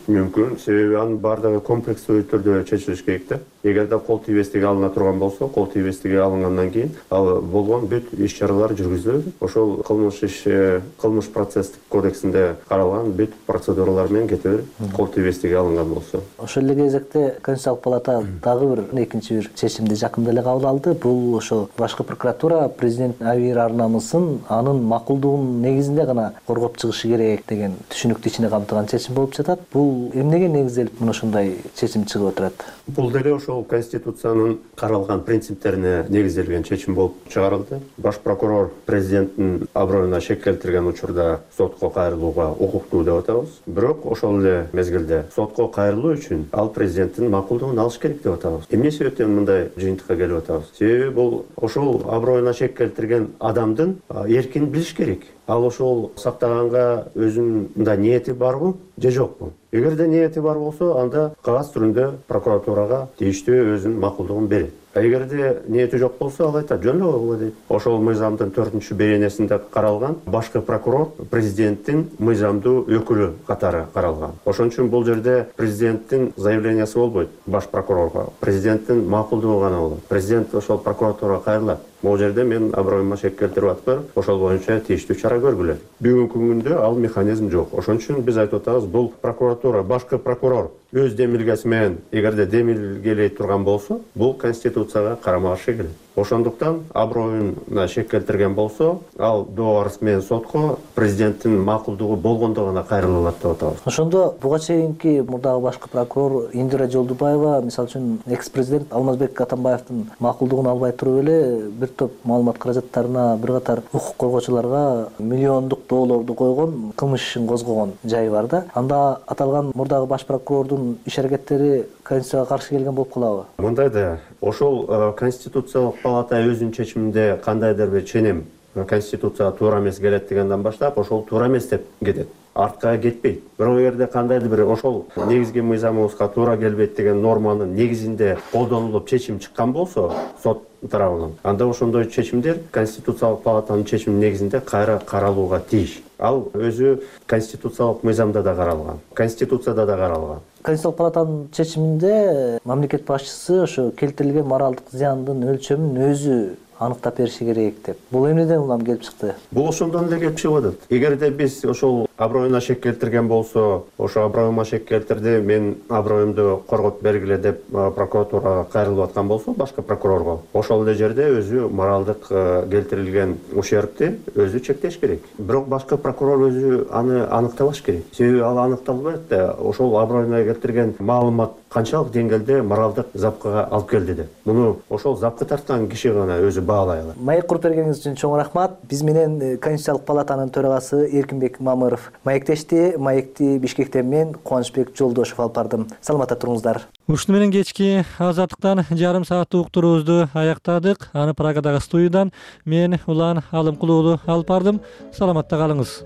[SPEAKER 4] Мүмкүн, себеби анын баардыгы комплекстүү түрдө чечилиш керек да. Эгерде кол тийбестиги алына турган болсо, кол тийбестиги алынгандан кийин ал болгон бүт иш-чаралар жүргүзүлөт. Ошол кылмыш процесстик кодексинде каралган бүт процедуралар менен кете берет, кол тийбестиги алынган болсо.
[SPEAKER 16] Ошол эле кезекте Конституциялык палата дагы бир экинчи бир чечимди жакында эле кабыл алды. Бул ошо башкы прокуратура президент абийир ар намысын анын макулдугунун негизинде гана коргоп чыгышы керек деген түшүнүктү ичине камтыган чечим болуп жатат. Бул эмнеге негизделип мына ушундай чечим чыгып отурат?
[SPEAKER 4] Бул деле ошол Конституциянын каралган принциптерине негизделген чечим болуп чыгарылды. Баш прокурор президенттин аброюна шек келтирген учурда сотко кайрылууга укуктуу деп атабыз. Бирок ошол эле мезгилде сотко кайрылуу үчүн ал президенттин макулдугун алыш керек деп атабыз. Эмне себептен мындай жыйынтыкка келип атабыз? Себеби бул ошол аброюна шек келтирген адамдын эркин билиш керек. Ал ошол сактаганга өзүнүн мындай ниети барбы же жокпу? Эгерде ниети бар болсо, анда кагаз түрүндө прокуратурага тийиштүү өзүнүн макулдугун берет. Эгерде ниети жок болсо, ал айтат, жөн эле койгула дейт. Ошол мыйзамдын 4-беренесинде каралган башкы прокурор президенттин мыйзамдуу өкүлү катары каралган. Ошон үчүн бул жерде президенттин заявлениясы болбойт баш прокурорго. Президенттин макулдугу гана болот. Президент ошол прокуратурага кайрылат. Бул жерде мен аброюма шек келтирип атпайм, ошол боюнча тийиштүү чара көргүлө. Бүгүнкү күндө ал механизм жок. Ошон үчүн биз айтып атабыз, бул прокуратура, башкы прокурор өз демилгеси менен эгерде демилгелей турган болсо, бул Конституцияга карама-каршы келет. Ошондуктан аброюна шек келтирген болсо, ал доо арыз менен сотко президенттин макулдугу болгондо гана кайрыла алат деп атабыз.
[SPEAKER 16] Ошондо буга чейинки мурдагы башкы прокурор Индира Жолдубаева, мисалы үчүн экс-президент Алмазбек Атамбаевдин макулдугун албай туруп эле бир топ маалымат каражаттарына, бир катар укук коргоочуларга миллиондук доолорду койгон, кылмыш ишин козгогон жайы бар да. Анда аталган мурдагы баш прокурордун иш-аракеттери Конституцияга каршы келген болуп калабы?
[SPEAKER 4] Мындай да, ошол Конституциялык палата өзүнүн чечиминде кандайдыр бир ченем Конституцияга туура эмес келет дегенден баштап, ошол туура эмес деп кетет. Артка кетпейт. Бирок эгерде кандайдыр бир ошол негизги мыйзамыбызга туура келбейт деген норманын негизинде колдонулуп чечим чыккан болсо, сот тарабынан, анда ошондой чечимдер Конституциялык палатанын чечиминин негизинде кайра каралууга тийиш. Ал өзү конституциялык мыйзамда да каралган, Конституцияда да каралган.
[SPEAKER 16] Конституциялык палатанын чечиминде мамлекет башчысы ошо келтирилген моралдык зыяндын өлчөмүн өзү аныктап бериши керек деп. Бул эмнеден улам келип чыкты?
[SPEAKER 4] Бул ошондон эле келип чыгып атат. Эгерде биз ошол аброюна шек келтирген болсо, ошо аброюма шек келтирди, мен аброюмду коргоп бергиле деп прокуратурага кайрылып аткан болсо, башка прокурорго, ошол эле жерде өзү моралдык келтирилген ущербти өзү чектеш керек. Бирок башка прокурор өзү аны аныктабаш керек. Себеби ал аныкталбайт да, ошол аброюна келтирген маалымат канчалык деңгээлде моралдык запкага алып келди деп. Муну ошол запкы тарткан киши гана өзү баалай алат.
[SPEAKER 16] Маек куруп бергениңиз үчүн чоң рахмат. Биз менен Конституциялык палатанын төрагасы Эркинбек Мамыров маектешти. Маекти Бишкектен мен Кубанычбек Жолдошов алып бардым. Саламатта туруңуздар.
[SPEAKER 1] Ушуну менен кечки Азаттыктан жарым сааттык уктуруубузду аяктадык. Аны Прагадагы студиядан мен Улан Алымкулуу уулу алып бардым. Саламатта калыңыз.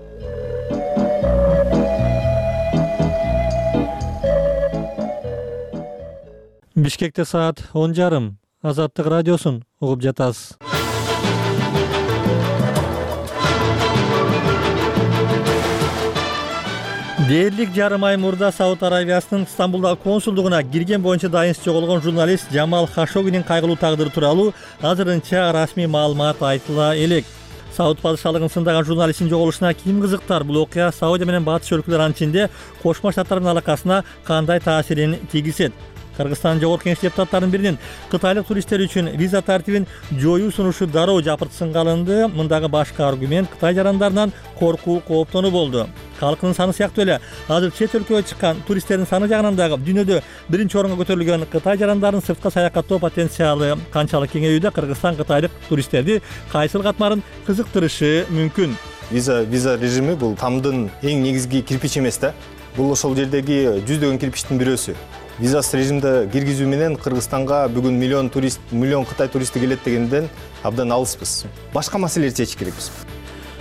[SPEAKER 1] Бишкекте саат 10:30. Азаттык радиосун угуп жатасыз. Дээрлик жарым ай мурда Сауд Арабиясынын Стамбулдагы консулдугуна кирген боюнча дайынсыз жоголгон журналист Жамал Хашогинин кайгылуу тагдыры тууралуу азырынча расмий маалымат айтыла элек. Сауд падышалыгын сындаган журналисттин жоголушуна ким кызыктар? Бул окуя Саудия менен батыш өлкөлөр анчинде Кошмо Штаттардын алакасына кандай таасирин тийгизет? Кыргызстан Жогорку Кеңеш депутаттарынын биринин кытайлык туристтер үчүн виза тартибин жоюу сунушу дароо жапыртсынга алынды. Мындагы башкы аргумент Кытай жарандарынан коркуу, кооптонуу болду. Калкынын саны сыяктуу эле азыр чет өлкөгө чыккан туристтердин саны жагынан дагы дүйнөдө биринчи орунга көтөрүлгөн Кытай жарандарын сыртка саякаттоо потенциалы канчалык кеңеюдө? Кыргызстан кытайлык туристтерди кайсыл катмарын кызыктырышы мүмкүн?
[SPEAKER 17] Виза режими бул тамдын эң негизги кирпичи эмес да. Бул ошол жердеги жүздөгөн кирпичтин бирөөсү. Визасыз режимде киргизүү менен Кыргызстанга бүгүн миллион Кытай туристи келет дегенден абдан алыспыз. Башка маселелерди чечиш керекпиз.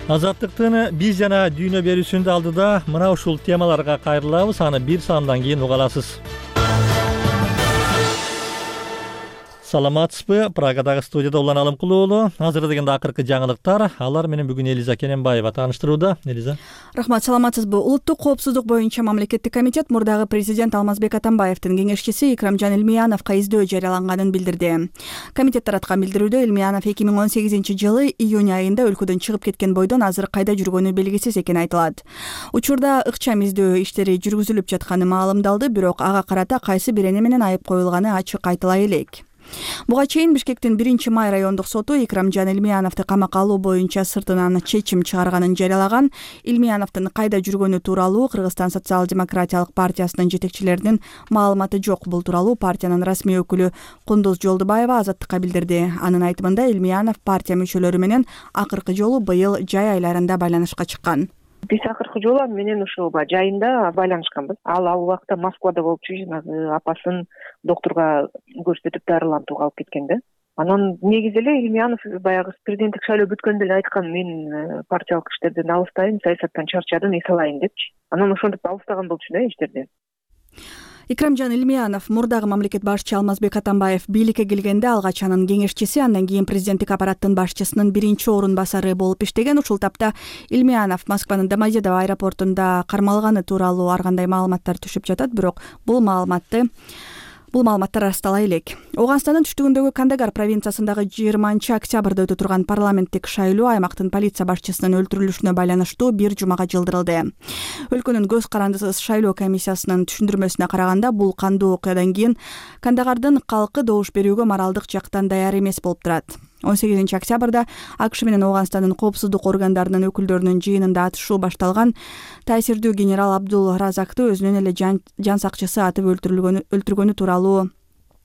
[SPEAKER 1] Азаттыктын биз жана дүйнө берүүсүндө алдыда мына ушул темаларга кайрылабыз. Аны бир саамдан кийин уга аласыз. Саламатсызбы? Прагадагы студияда Улан Алымкулуу уулу. Азыр дегенде акыркы жаңылыктар. Алар менен бүгүн Элиза Кененбаева тааныштырууда. Элиза.
[SPEAKER 5] Рахмат, саламатсызбы? Улуттук коопсуздук боюнча мамлекеттик комитет мурдагы президент Алмазбек Атамбаевдин кеңешчиси Икрамжан Илмияновго издөө жарыяланганын билдирди. Комитет тараткан билдирүүдө Илмиянов 2018-жылы июнь айында өлкөдөн чыгып кеткен бойдон азыр кайда жүргөнү белгисиз экени айтылат. Учурда ыкчам издөө иштери жүргүзүлүп жатканы маалымдалды, бирок ага карата кайсы бир эне менен айып коюлганы ачык айтыла элек. Буга чейин Бишкектин 1-май райондук соту Икрамжан Илмияновду камакка алуу боюнча сыртынан чечим чыгарганын жарыялаган. Илмияновдун кайда жүргөнү тууралуу Кыргызстан социал-демократиялык партиясынын жетекчилеринин маалыматы жок. Бул тууралуу партиянын расмий өкүлү Кундуз Жолдубаева Азаттыкка билдирди. Анын айтымында Илмиянов партия мүчөлөрү менен акыркы жолу быйыл жай айларында байланышка чыккан.
[SPEAKER 6] Биз акыркы жолу менен ушул жайында байланышканбыз. Ал убакта Москвада болуп жанагы апасын доктурга көрсөтүп дарылантууга алып кеткен да. Анан негизи эле Илмиянов баягы президенттик шайлоо бүткөндө эле айткан, мен партиялык иштерден алыстайм, саясаттан чарчадым, эс алайын депчи. Анан ошентип алыстаган болчу да иштерден.
[SPEAKER 5] Икрамжан Илмиянов мурдагы мамлекет башчы Алмазбек Атамбаев бийликке келгенде алгач анын кеңешчиси, андан кийин президенттик аппараттын башчысынын биринчи орун басары болуп иштеген. Ушул тапта Илмиянов Москванын Домодедово аэропортунда кармалганы тууралуу ар кандай маалыматтар түшүп жатат, бирок бул маалыматтар ырастала элек. Ооганстандын түштүгүндөгү Кандагар провинциясындагы 20-октябрда өтө турган парламенттик шайлоо аймактын полиция башчысынын өлтүрүлүшүнө байланыштуу бир жумага жылдырылды. Өлкөнүн көз карандысыз шайлоо комиссиясынын түшүндүрмөсүнө караганда, бул кандуу окуядан кийин Кандагардын калкы добуш берүүгө моралдык жактан даяр эмес болуп турат. 18-октябрда АКШ менен Ооганстандын коопсуздук органдарынын өкүлдөрүнүн жыйынында атышуу башталган. Таасирдүү генерал Абдул Разакты өзүнүн эле жан сакчысы атып өлтүргөнү тууралуу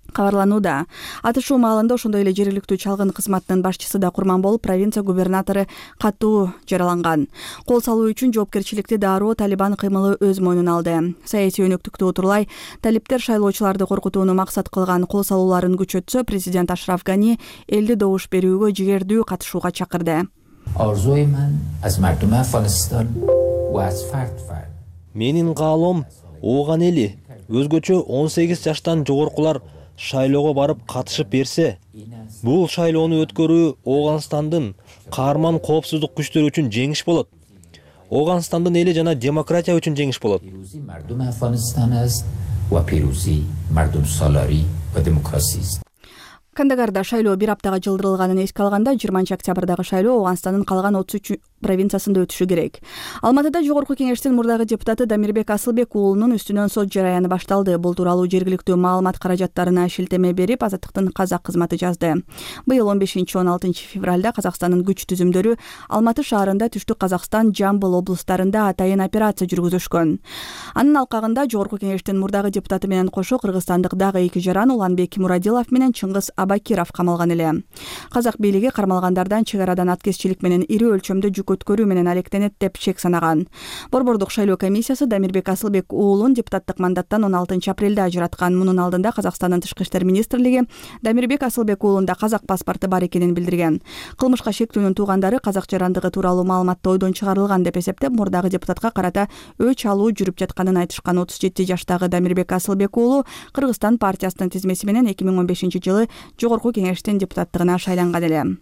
[SPEAKER 5] кабарланууда. Атышуу маалында ошондой эле жергиликтүү чалгын кызматынын башчысы да курман болуп, провинция губернатору катуу жараланган. Кол салуу үчүн жоопкерчиликти дароо Талибан кыймылы өз мойнуна алды. Саясий өнөктүктү утурлай талиптер шайлоочуларды коркутууну максат кылган кол салууларын күчөтсө, президент Ашраф Гани элди добуш берүүгө жигердүү катышууга чакырды.
[SPEAKER 18] Менин каалоом ооган эли өзгөчө 18 жаштан жогоркулар шайлоого барып катышып берсе, бул шайлоону өткөрүү Ооганстандын каарман коопсуздук күчтөрү үчүн жеңиш болот. Ооганстандын эли жана демократия үчүн жеңиш болот.
[SPEAKER 5] Кандагарда шайлоо бир аптага жылдырылганын эске алганда, 20-октябрдагы шайлоо Ооганстандын калган 33 провинциясында өтүшү керек. Алматыда Жогорку Кеңештин мурдагы депутаты Дамирбек Асылбек уулунун үстүнөн сот жараяны башталды. Бул тууралуу жергиликтүү маалымат каражаттарына шилтеме берип, Азаттыктын казак кызматы жазды. Быйыл 15-16 февралда Казакстандын күч түзүмдөрү Алматы шаарында, Түштүк Казакстан, Жамбыл облустарында атайын операция жүргүзүшкөн. Анын алкагында Жогорку Кеңештин мурдагы депутаты менен кошо кыргызстандык дагы 2 жаран Уланбек Мурадилов менен Чыңгыз Абакиров камалган эле. Казак бийлиги кармалгандардан чек арадан аткезчилик менен ири өлчөмдө жүк көпчүлүк өткөрүү менен алектенет деп чек санаган. Борбордук шайлоо комиссиясы Дамирбек Асылбек уулун депутаттык мандаттан 16 апрелде ажыраткан. Мунун алдында Казакстандын Тышкы иштер министрлиги Дамирбек Асылбек уулунда казак паспорту бар экенин билдирген. Кылмышка шектүүнүн туугандары казак жарандыгы тууралуу маалыматты ойдон чыгарылган деп эсептеп, мурдагы депутатка карата өч алуу жүрүп жатканын айтышкан. 37 жаштагы Дамирбек Асылбек уулу Кыргызстан партиясынын тизмеси менен 2015-жылы жогорку кеңештин депутаттыгына шайланган эле.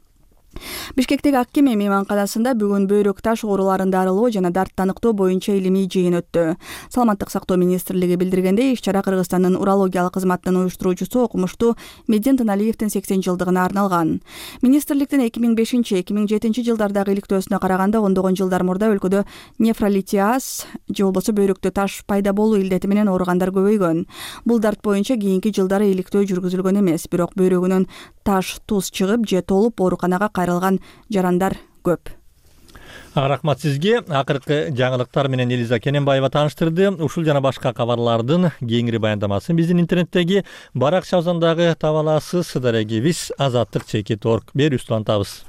[SPEAKER 5] Бишкектеги Ак Кеме мейманканасында бүгүн бөйрөк таш ооруларында арылоо жана дарттаныктоо боюнча илимий жыйын өттү. Саламаттык сактоо министрлиги билдиргендей, иш-чара Кыргызстандын урологиялык кызматынын уюштуруучусу окумуштуу Медин Тыналиевдин 80 жылдыгына арналган. Министрликтин 2005-2007 жылдардагы иликтөөсүнө караганда ондогон жылдар мурда өлкөдө нефролитиаз же болбосо бөйрөктө таш пайда болуу илдети менен ооругандар көбөйгөн. Бул дарт боюнча кийинки жылдары иликтөө жүргүзүлгөн эмес, бирок бөйрөгүнөн таш туз чыгып же толуп ооруканага кайрылган жарандар көп.
[SPEAKER 1] Рахмат сизге. Акыркы жаңылыктар менен Элиза Кененбаева тааныштырды. Ушул жана башка кабарлардын кеңири баяндамасын биздин интернеттеги баракчабыздагы таба аласыз. Дорогие биз azatlyk.org берүүбүздү улантабыз.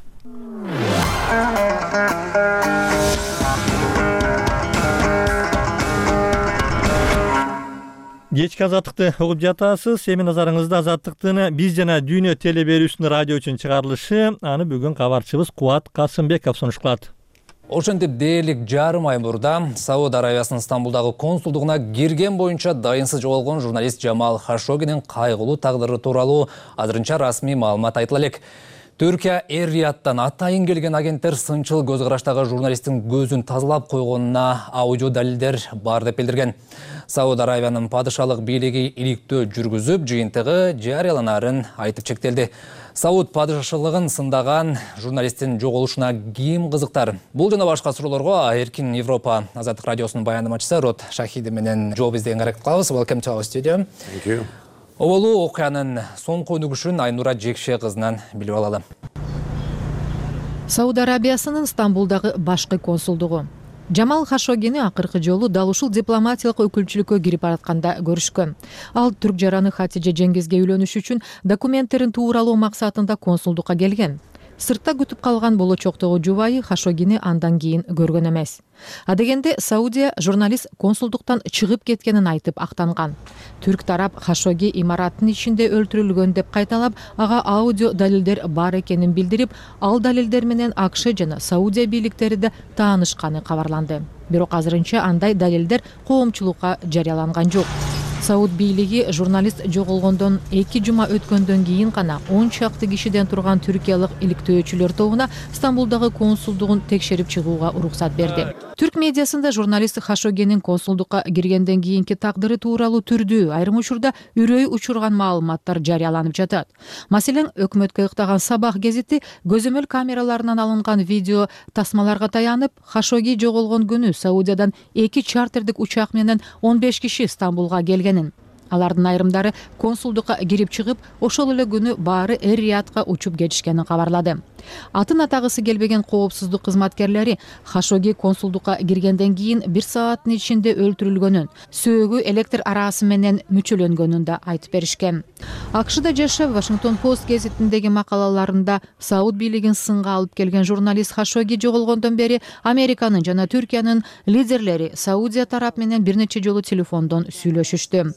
[SPEAKER 1] Кечки азаттыкты угуп жатасыз. Эми назарыңызда азаттыктын биз жана дүйнө теле берүүсүнүн радио үчүн чыгарылышы. Аны бүгүн кабарчыбыз Кубат Касымбеков сунушталат.
[SPEAKER 19] Ошентип дээрлик жарым ай мурда Сауд Арабиясынын Стамбулдагы консулдугуна кирген боюнча дайынсыз жоголгон журналист Жамал Хашогинин кайгылуу тагдыры тууралуу азырынча расмий маалымат айтыла элек. Түркия Эр-Рияттан атайын келген агенттер сынчыл көз караштагы журналисттин көзүн тазалап койгонуна аудио далилдер бар деп билдирген. Сауд Арабиянын падышалык бийлиги иликтөө жүргүзүп, жыйынтыгы жарыяланарын айтып чектелди. Сауд падышалыгын сындаган журналисттин жоголушуна ким кызыктар? Бул жана башка суроолорго Эркин Европа Азаттык радиосунун баяндамачысы Рот Шахиди менен жооп издеген аракет кылабыз. Welcome to our studio.
[SPEAKER 20] Thank you.
[SPEAKER 19] Оболуу окуянын соңку өнүгүшүн Айнура Жекше кызынан билип алалы.
[SPEAKER 21] Сауд Арабиясынын Стамбулдагы башкы консулдугу Жамал Хашогини акыркы жолу дал ушул дипломатиялык өкүлчүлүккө кирип баратканда көрүшкөн. Ал түрк жараны Хатиже Жеңгизге үйлөнүш үчүн документтерин тууралоо максатында консулдукка келген. Сыртта күтүп калган болочоктогу жубайы Хашогини андан кийин көргөн эмес. Адегенде Саудия журналист консулдуктан чыгып кеткенин айтып актанган. Түрк тарап Хашоги имараттын ичинде өлтүрүлгөн деп кайталап, ага аудио далилдер бар экенин билдирип, ал далилдер менен АКШ жана Саудия бийликтери да таанышканы кабарланды. Бирок азырынча андай далилдер коомчулукка жарыяланган жок. Сауд бийлиги журналист жоголгондон 2 жума өткөндөн кийин гана 10 чакты кишиден турган түркиялык иликтөөчүлөр тобуна Стамбулдагы консулдугун текшерип чыгууга уруксат берди. Түрк медиасында журналист Хашогинин консулдукка киргенден кийинки тагдыры тууралуу түрдүү, айрым учурда үрөй учурган маалыматтар жарыяланып жатат. Маселен, өкмөткө ыктаган Сабах гезити көзөмөл камераларынан алынган видео тасмаларга таянып, Хашоги жоголгон күнү Саудиядан 2 чартердик учак менен 15 киши Стамбулга келгенин. Алардын айрымдары консулдукка кирип чыгып, ошол эле күнү баары Эр-Риядка учуп кетишкенин кабарлады. Атын атагысы келбеген коопсуздук кызматкерлери Хашоги консулдукка киргенден кийин 1 сааттын ичинде өлтүрүлгөнүн, сөөгү электр арасы менен мүчөлөнгөнүн да айтып беришкен. АКШда жашап, Вашингтон Пост гезитиндеги макалаларында Сауд бийлигин сынга алып келген журналист Хашоги жоголгондон бери Американын жана Түркиянын лидерлери Саудия тарап менен бир нече жолу телефондон сүйлөшүштү.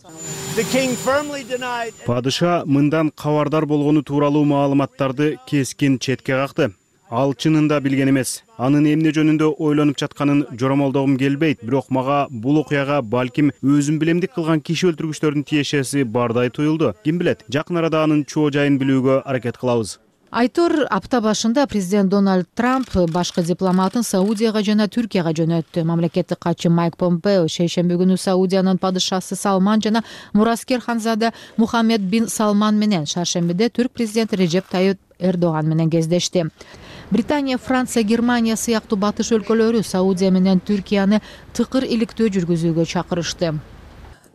[SPEAKER 22] Падыша мындан кабардар болгону тууралуу маалыматтарды кескин четке какты. Ал чынында билген эмес. Анын эмне жөнүндө ойлонуп жатканын жоромолдогум келбейт, бирок мага бул окуяга балким өзүм билемдик кылган киши өлтүргүчтөрдүн тиешеси бардай туюлду. Ким билет, жакын арада анын чоо жайын билүүгө аракет кылабыз.
[SPEAKER 21] Айтор апта башында президент Дональд Трамп башкы дипломатын Саудияга жана Түркияга жөнөттү. Мамлекеттик катчы Майк Помпео шейшемби күнү Саудиянын падышасы Салман жана мураскер ханзада Мухаммед бин Салман менен шаршембиде түрк президенти Режеп Тайып Эрдоган менен кездешти. Британия, Франция, Германия сыяктуу батыш өлкөлөрү Саудия менен Түркияны тыкыр иликтөө жүргүзүүгө чакырышты.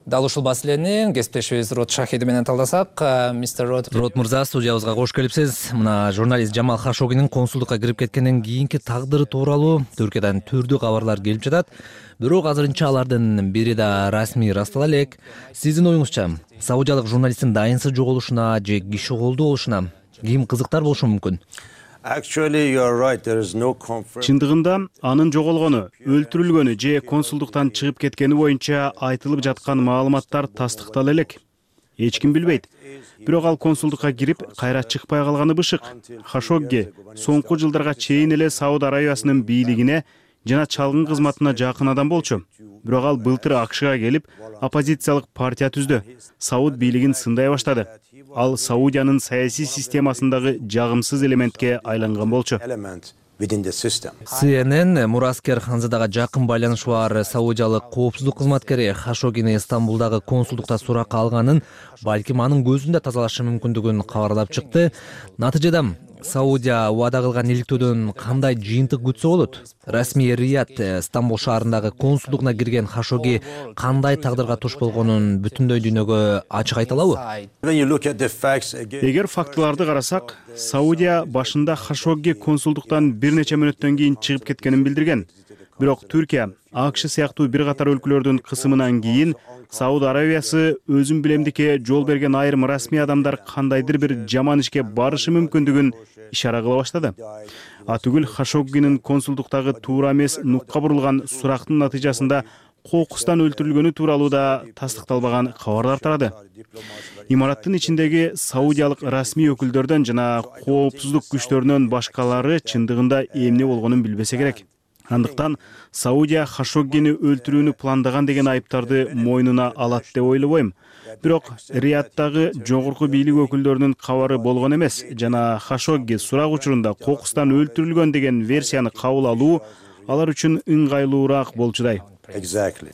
[SPEAKER 19] Дал ушул маселени кесиптешибиз Рот Шахиди менен талдасак, мистер Рот мырза, студиябызга кош келипсиз. Мына журналист Жамал Хашогинин консулдукка кирип кеткенден кийинки тагдыры тууралуу Түркиядан түрдүү кабарлар келип жатат. Бирок азырынча алардын бири да расмий ырастала элек. Сиздин оюңузча, саудиялык журналисттин дайынсыз жоголушуна же киши колдуу болушуна ким кызыктар болушу мүмкүн?
[SPEAKER 22] Чындыгында анын жоголгону, өлтүрүлгөнү же консулдуктан чыгып кеткени боюнча айтылып жаткан маалыматтар тастыктала элек. Эч ким билбейт. Бирок ал консулдукка кирип, кайра чыкпай калганы бышык. Хашогги соңку жылдарга чейин эле Сауд Арабиясынын бийлигине жана чалгын кызматына жакын адам болчу. Бирок ал былтыр АКШга келип, оппозициялык партия түздү. Сауд бийлигин сындай баштады. Ал Саудиянын саясий системасындагы жагымсыз элементке айланган болчу.
[SPEAKER 19] CNN Мураскер Ханзадага жакын байланышы бар саудиялык коопсуздук кызматкери Хашоггини Стамбулдагы консулдукта суракка алганын, балким анын көзүндө тазалашы мүмкүндүгүн кабарлап чыкты. Натыйжада Саудия убада кылган иликтөөдөн кандай жыйынтык күтсө болот? Расмий Рият Стамбул шаарындагы консулдугуна кирген Хашогги кандай тагдырга туш болгонун бүтүндөй дүйнөгө ачык айта алабы?
[SPEAKER 22] Эгер фактыларды карасак, Саудия башында Хашогги консулдуктан бир нече мүнөттөн кийин чыгып кеткенин билдирген. Бирок Түркия, АКШ сыяктуу бир катар өлкөлөрдүн кысымынан кийин Сауд Арабиясы өзүн билемдикке жол берген айрым расмий адамдар кандайдыр бир жаман ишке барышы мүмкүндүгүн ишара кыла баштады. Атүгүл Хашоггинин консулдуктагы туура эмес нукка бурулган сурактын натыйжасында кокустан өлтүрүлгөнү тууралуу да тастыкталбаган кабарлар тарады. Имараттын ичиндеги саудиялык расмий өкүлдөрдөн жана коопсуздук күчтөрүнөн башкалары чындыгында эмне болгонун билбесе керек. Андыктан Саудия Хашоггини өлтүрүүнү пландаган деген айыптарды мойнуна алат деп ойлобойм. Бирок Риядтагы жогорку бийлик өкүлдөрүнүн кабары болгон эмес жана Хашогги сурак учурунда кокустан өлтүрүлгөн деген версияны кабыл алуу алар үчүн ыңгайлуураак болчудай.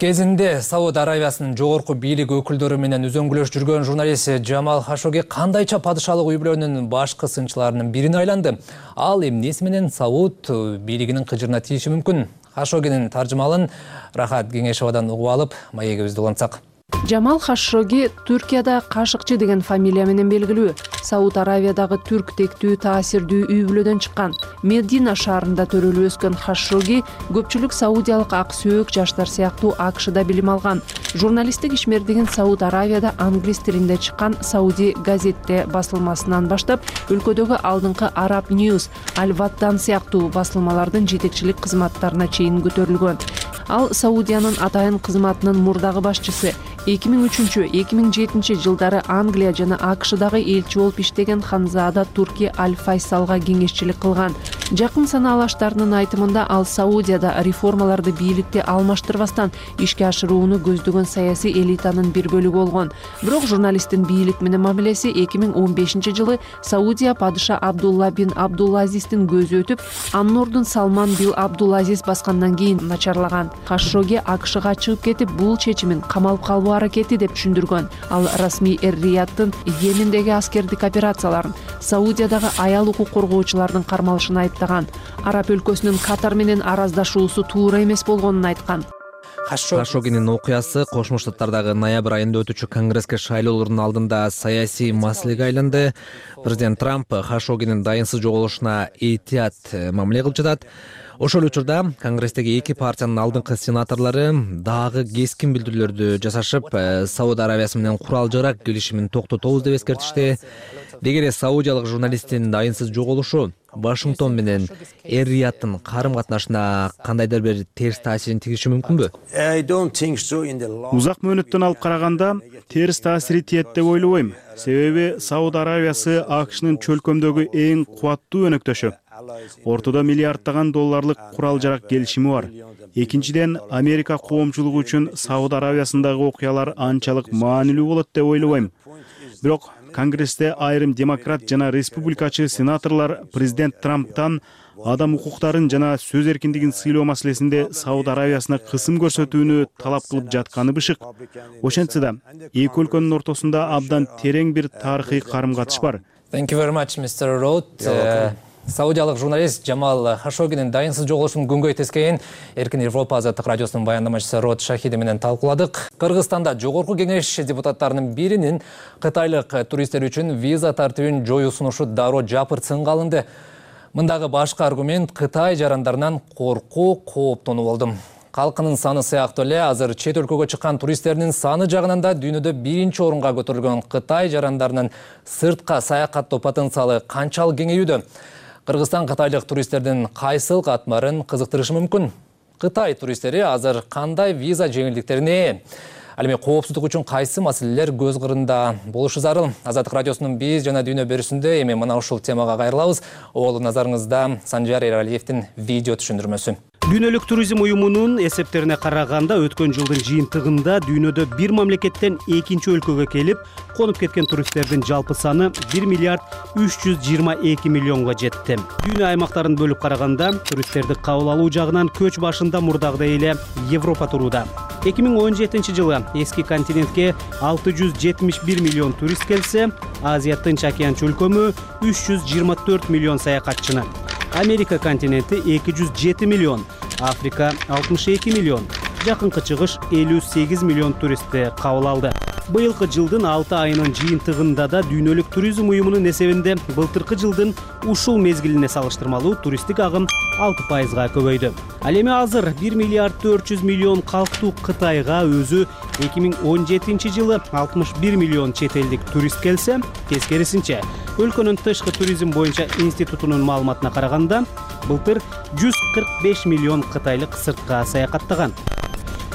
[SPEAKER 19] Кезинде Сауд Арабиясынын жогорку бийлик өкүлдөрү менен үзөңгүлөш жүргөн журналист Жамал Хашогги кандайча падышалык үй бүлөнүн башкы сынчыларынын бирине айланды. Ал эмнеси менен Сауд бийлигинин кыжырына тийиши мүмкүн? Хашоггинин таржымалын Рахат Кеңешовадан угуп алып, маегибизди улантсак.
[SPEAKER 7] Жамал Хашогги Түркияда Кашыкчы деген фамилия менен белгилүү. Сауд Аравиядагы түрк тектүү таасирдүү үй бүлөдөн чыккан. Медина шаарында төрөлүп өскөн Хашогги көпчүлүк саудиялык ак сөөк жаштар сыяктуу АКШда билим алган. Журналисттик ишмердигин Сауд Аравияда англис тилинде чыккан Сауди газетте басылмасынан баштап, өлкөдөгү алдыңкы Arab News, Al-Waddan сыяктуу басылмалардын жетекчилик кызматтарына чейин көтөрүлгөн. Ал Саудиянын атайын кызматынын мурдагы башчысы. 2003-2007 жылдары Англия жана АКШдагы элчи болуп иштеген Ханзада Турки Аль-Файсалга кеңешчилик кылган. Жакын санаалаштарынын айтымында ал Саудияда реформаларды бийликте алмаштырбастан ишке ашырууну көздөгөн саясий элитанын бир бөлүгү болгон. Бирок журналисттин бийлик менен мамилеси 2015 жылы Саудия падыша Абдулла бин Абдулазиздин көзү өтүп, анын ордун Салман бин Абдулазиз баскандан кийин начарлаган. Хашогги АКШга чыгып кетип, бул чечимин камалып калуу аракети деп түшүндүргөн. Ал расмий Эр-Рияттын Йемендеги аскердик операцияларын, Саудиядагы аял укук коргоочулардын кармалышын айыптаган. Араб өлкөсүнүн Катар менен араздашуусу туура эмес болгонун айткан.
[SPEAKER 19] Хашоггинин окуясы Кошмо Штаттардагы ноябрь айында өтүүчү конгресске шайлоолордун алдында саясий маселеге айланды. Президент Трамп Хашоггинин дайынсыз жоголушуна этият мамиле кылып жатат. Ошол учурда конгресстеги эки партиянын алдыңкы сенаторлору дагы кескин билдирүүлөрдү жасашып, Сауд Арабиясы менен курал-жарак келишимин токтотобуз деп эскертишти. Дегере саудиялык журналисттин дайынсыз жоголушу Вашингтон менен Эр-Рияттын карым-катнашына кандайдыр бир терс таасирин тийиши мүмкүнбү?
[SPEAKER 22] Узак мөөнөттөн алып караганда терс таасири тиет деп ойлобойм. Себеби Сауд Арабиясы АКШнын чөлкөмдөгү эң кубаттуу өнөктөшү. Ортодо миллиарддаган долларлык курал-жарак келишими бар. Экинчиден, Америка коомчулугу үчүн Сауд Арабиясындагы окуялар анчалык маанилүү болот деп ойлобойм. Бирок Конгрессте айрым демократ жана республикачы сенаторлор президент Трамптан адам укуктарын жана сөз эркиндигин сыйлоо маселесинде Сауд Арабиясына кысым көрсөтүүнү талап кылып жатканы бышык. Ошентсе да, эки өлкөнүн ортосунда абдан терең бир тарыхый карым-катыш бар.
[SPEAKER 19] Thank you very much, Mr. Roth. Саудиялык журналист Жамал Хашоггинин дайынсыз жоголушун күнгөй тескейин Эркин Европа азаттык радиосунун баяндамачысы Рот Шахиди менен талкууладык. Кыргызстанда жогорку кеңеш депутаттарынын биринин кытайлык туристтер үчүн виза тартибин жоюу сунушу дароо жапыртсынга алынды. Мындагы башкы аргумент Кытай жарандарынан коркуу, кооптонуу болду. Калкынын саны сыяктуу эле азыр чет өлкөгө чыккан туристтердин саны жагынан да дүйнөдө биринчи орунга көтөрүлгөн Кытай жарандарынын сыртка саякаттоо потенциалы канчалык кеңейүүдө? Кыргызстан кытайлык туристтердин кайсыл катмарын кызыктырышы мүмкүн? Кытай туристтери азыр кандай виза жеңилдиктерине ээ? Ал эми коопсуздук үчүн кайсы маселелер көз кырында болушу зарыл? Азаттык радиосунун биз жана дүйнө берүүсүндө эми мына ушул темага кайрылабыз. Ол назарыңызда Санжар Эралиевдин видео түшүндүрмөсү.
[SPEAKER 22] Дүйнөлүк туризм уюмунун эсептерине караганда өткөн жылдын жыйынтыгында дүйнөдө бир мамлекеттен экинчи өлкөгө келип конуп кеткен туристтердин жалпы саны 1 миллиард 322 миллионго жетти. Дүйнө аймактарын бөлүп караганда туристтерди кабыл алуу жагынан көч башында мурдагыдай эле Европа турууда. 2017 жылы эски континентке 671 миллион турист келсе, Азия Тынч океан чөлкөмү 324 миллион саякатчыны. Америка континенти 207 миллион, Африка 62 миллион, Жакынкы Чыгыш 58 миллион туристти кабыл алды. Быйылкы жылдын 6 айынын жыйынтыгында да дүйнөлүк туризм уюмунун эсебинде былтыркы жылдын ушул мезгилине салыштырмалуу туристтик агым 6%га көбөйдү. Ал эми азыр 1 миллиард 400 миллион калктуу Кытайга өзү 2017 жылы 61 миллион чет элдик турист келсе, тескерисинче өлкөнүн тышкы туризм боюнча институтунун маалыматына караганда, былтыр 145 миллион кытайлык сыртка саякаттаган.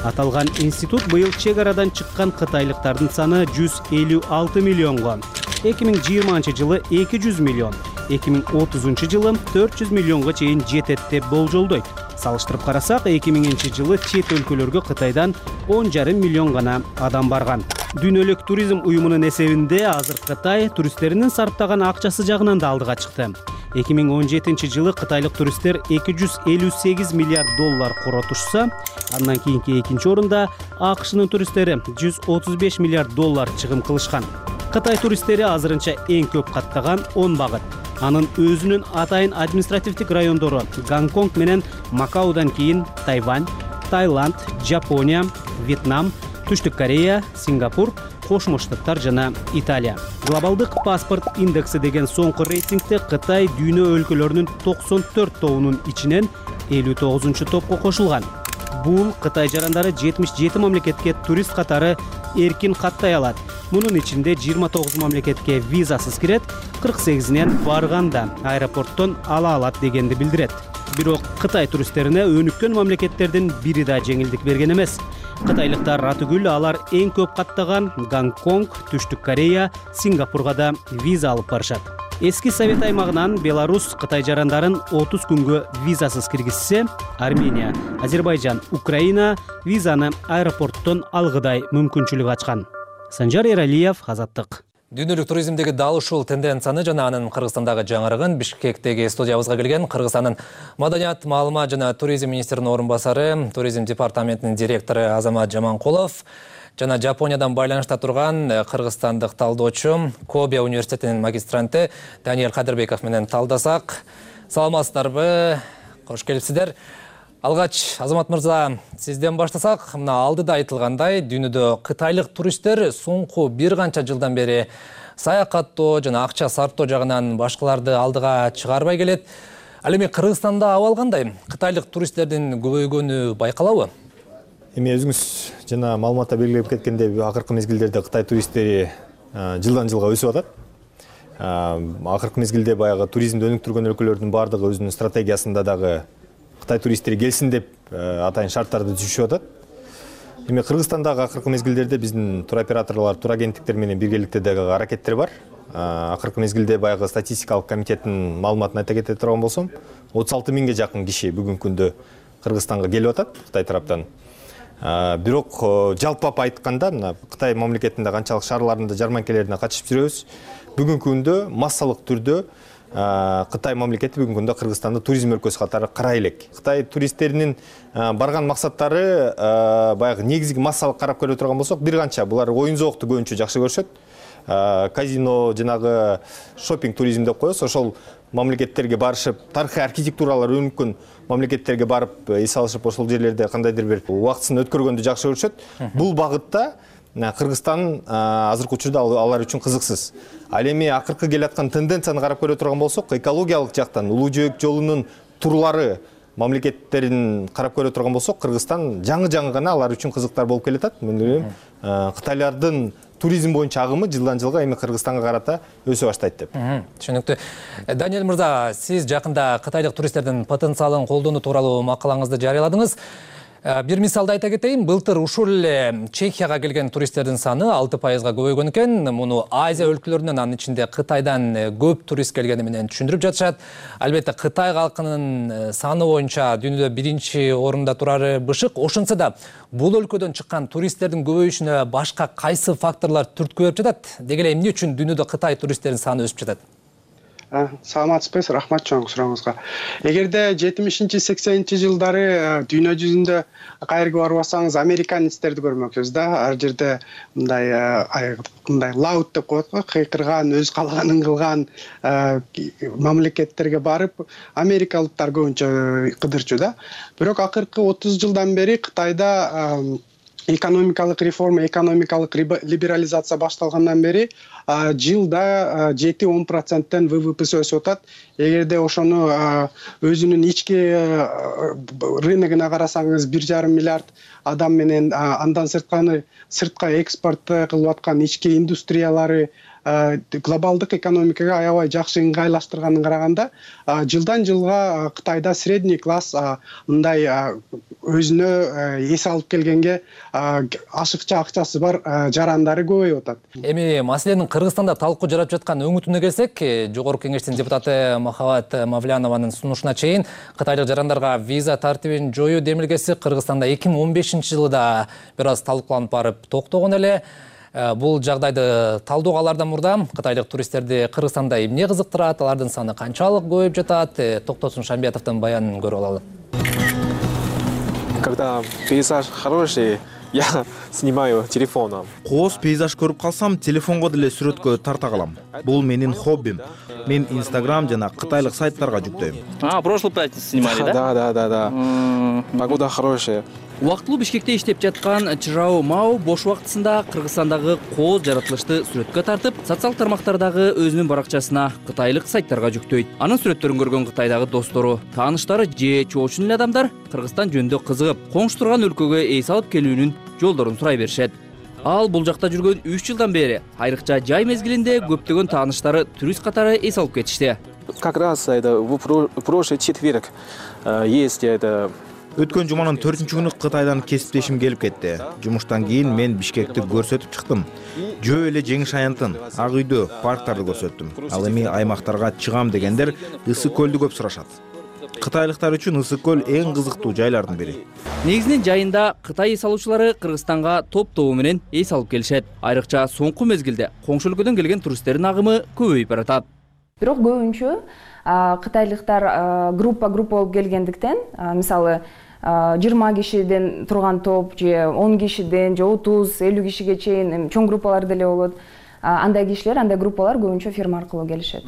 [SPEAKER 22] Аталган институт быйыл чек арадан чыккан кытайлыктардын саны 156 миллионго, 2020 жылы 200 миллион, 2030 жылы 400 миллионго чейин жетет деп болжолдойт. Салыштырып карасак, 2000 жылы чет өлкөлөргө Кытайдан 10,5 миллион гана адам барган. Дүйнөлүк туризм уюмунун эсебинде азыр Кытай туристтеринин сарптаган акчасы жагынан да алдыга чыкты. 2017 жылы кытайлык туристтер 258 миллиард доллар коротушса, андан кийинки экинчи орунда АКШнын туристтери 135 миллиард доллар чыгым кылышкан. Кытай туристтери азырынча эң көп каттаган 10 багыт. Анын өзүнүн атайын административдик райондору Гонконг менен Макаудан кийин Тайвань, Таиланд, Жапония, Вьетнам, Түштүк Корея, Сингапур, Кошмо Штаттар жана Италия. Глобалдык паспорт индекси деген соңку рейтингде Кытай дүйнө өлкөлөрүнүн 94 тобунун ичинен 59 топко кошулган. Бул Кытай жарандары 77 мамлекетке турист катары эркин каттай алат. Мунун ичинде 29 мамлекетке визасыз кирет, 48-нен барганда аэропорттон ала алат дегенди билдирет. Бирок Кытай туристтерине өнүккөн мамлекеттердин бири да жеңилдик берген эмес. Кытайлыктар атүгүл алар эң көп каттаган Гонконг, Түштүк Корея, Сингапурга да виза алып барышат. Эски Совет аймагынан Беларусь Кытай жарандарын 30 күнгө визасыз киргизсе, Армения, Азербайжан, Украина визаны аэропорттон алгыдай мүмкүнчүлүк ачкан. Санжар Эралиев, Азаттык.
[SPEAKER 19] Дүйнөлүк туризмдеги дал ушул тенденцияны жана анын Кыргызстандагы жаңырыгын Бишкектеги студиябызга келген Кыргызстандын Маданият, маалымат жана туризм министринин орун басары, туризм департаментинин директору Азамат Жаманкулов жана Жапониядан байланышта турган кыргызстандык талдоочу, Кобе университетинин магистранты Даниэль Кадырбеков менен талдасак. Саламатсыздарбы? Кош келипсиздер. Алгач, Азамат мырза, сизден баштасак, мына алдыда айтылгандай, дүйнөдө кытайлык туристтер соңку бир канча жылдан бери саякаттоо жана акча сарптоо жагынан башкаларды алдыга чыгарбай келет. Ал эми Кыргызстанда абал кандай? Кытайлык туристтердин көбөйгөнү байкалабы?
[SPEAKER 17] Эми өзүңүз жана маалыматта белгилеп кеткендей, акыркы мезгилдерде Кытай туристтери жылдан жылга өсүп атат. Акыркы мезгилде баягы туризмди өнүктүргөн өлкөлөрдүн баардыгы өзүнүн стратегиясында дагы Кытай туристтери келсин деп атайын шарттарды түзүшүп атат. Эми Кыргызстандагы акыркы мезгилдерде биздин туроператорлор, турагенттиктер менен биргеликте дагы аракеттер бар. Акыркы мезгилде баягы статистикалык комитеттин маалыматын айта кете турган болсом, 36 миңге жакын киши бүгүнкү күндө Кыргызстанга келип атат Кытай тараптан. Бирок жалпап айтканда, мына Кытай мамлекетинде канчалык шаарларында жарманкелерине катышып жүрөбүз. Бүгүнкү күндө массалык түрдө Кытай мамлекети бүгүнкү күндө Кыргызстанды туризм өлкөсү катары карай элек. Кытай туристтеринин барган максаттары баягы негизги массалык карап көрө турган болсок, бир канча булар оюн зоокту көбүнчө жакшы көрүшөт. Казино, жанагы шопинг туризм деп коебуз. Ошол мамлекеттерге барышып, тарыхый архитектуралар өнүккөн мамлекеттерге барып эс алышып, ошол жерлерде кандайдыр бир убактысын өткөргөндү жакшы көрүшөт. Бул багытта Кыргызстан азыркы учурда алар үчүн кызыксыз. Ал эми акыркы келаткан тенденцияны карап көрө турган болсок, экологиялык жактан Улуу жөөк жолунун турлары мамлекеттерин карап көрө турган болсок, Кыргызстан жаңы гана алар үчүн кызыктар болуп келатат. Мен ойлойм, кытайлардын туризм боюнча агымы жылдан жылга эми Кыргызстанга карата өсө баштайт деп.
[SPEAKER 19] Түшүнүктүү. Даниэль мырза, сиз жакында кытайлык туристтердин потенциалын колдонуу тууралуу макалаңызды жарыяладыңыз. Бир мисалды айта кетейин, былтыр ушул эле Чехияга келген туристтердин саны 6%-га көбөйгөн экен. Муну Азия өлкөлөрүнөн, анын ичинде Кытайдан көп турист келгени менен түшүндүрүп жатышат. Албетте Кытай калкынын саны боюнча дүйнөдө биринчи орунда турары бышык. Ошонсо да бул өлкөдөн чыккан туристтердин көбөйүшүнө башка кайсы факторлор түрткү берип жатат? Деги эле эмне үчүн дүйнөдө Кытай туристтердин саны өсүп жатат?
[SPEAKER 2] Саламатсызбы, рахмат чоң суроңузга. Эгерде 70-80 жылдары дүйнө жүзүндө кайерге барып алсаңыз американецтерди көрмөксүз да. Ар жерде мындай лаут деп коет го, кыйкырган, өз каалаганын кылган мамлекеттерге барып америкалыктар көбүнчө кыдырчу да. Бирок акыркы 30 жылдан бери Кытайда экономикалык реформа, экономикалык либерализация башталгандан бери жылда 7-10%-тен ВВПсы өсүп атат. Эгерде ошону өзүнүн ички рыногуна карасаңыз 1,5 миллиард адам менен андан сыртка экспорт кылып аткан ички индустриялары глобалдык экономикага аябай жакшы ыңгайлаштырганын караганда жылдан жылга Кытайда средний класс мындай өзүнө эс алып келгенге ашыкча акчасы бар жарандары көбөйүп атат.
[SPEAKER 19] Эми маселенин Кыргызстанда талкуу жарап жаткан өңүтүнө келсек, Жогорку Кеңештин депутаты Махабат Мавлянованын сунушуна чейин кытайлык жарандарга виза тартибин жоюу демилгеси Кыргызстанда 2015-жылы да бир аз талкууланып барып токтогон эле. Бул жагдайды талдоого алардан мурда кытайлык туристтерди Кыргызстанда эмне кызыктырат, алардын саны канчалык көбөйүп жатат? Токтосун Шамбиятовдун баянын көрүп алалы.
[SPEAKER 20] Когда пейзаж хороший, я снимаю телефоном.
[SPEAKER 12] Кооз пейзаж көрүп калсам, телефонго деле сүрөткө тарта калам. Бул менин хоббим. Мен Instagram жана кытайлык сайттарга жүктөйм.
[SPEAKER 23] Прошлую пятницу снимали, да?
[SPEAKER 20] Да. Погода хорошая.
[SPEAKER 23] Убактылуу Бишкекте иштеп жаткан Чжао Мао бош убактысында Кыргызстандагы кооз жаратылышты сүрөткө тартып, социалдык тармактардагы өзүнүн баракчасына кытайлык сайттарга жүктөйт. Анын сүрөттөрүн көргөн Кытайдагы достору, тааныштары же чоочун эле адамдар Кыргызстан жөнүндө кызыгып, коңшу турган өлкөгө эс алып келүүнүн жолдорун сурай беришет. Ал бул жакта жүргөн 3 жылдан бери айрыкча жай мезгилинде көптөгөн тааныштары турист катары эс алып кетишти.
[SPEAKER 20] Как раз это в прошлый четверг есть это.
[SPEAKER 12] Өткөн жуманын 4-күнү Кытайдан кесиптешим келип кетти. Жумуштан кийин мен Бишкекти көрсөтүп чыктым. Жөө эле Жеңиш аянтын, Ак үйдө, парктарды көрсөттүм. Ал эми аймактарга чыгам дегендер Ысык көлдү көп сурашат. Кытайлыктар үчүн Ысык көл эң кызыктуу жайлардын бири.
[SPEAKER 23] Негизинен жайында Кытай эс алуучулары Кыргызстанга топ-тобу менен эс алып келишет. Айрыкча соңку мезгилде коңшу өлкөдөн келген туристтердин агымы көбөйүп баратат.
[SPEAKER 24] Бирок көбүнчө кытайлыктар группа болуп келгендиктен, мисалы 20 кишиден турган топ же 10 кишиден же 30-50 кишиге чейин чоң группалар деле болот. Андай кишилер, андай группалар көбүнчө фирма аркылуу келишет.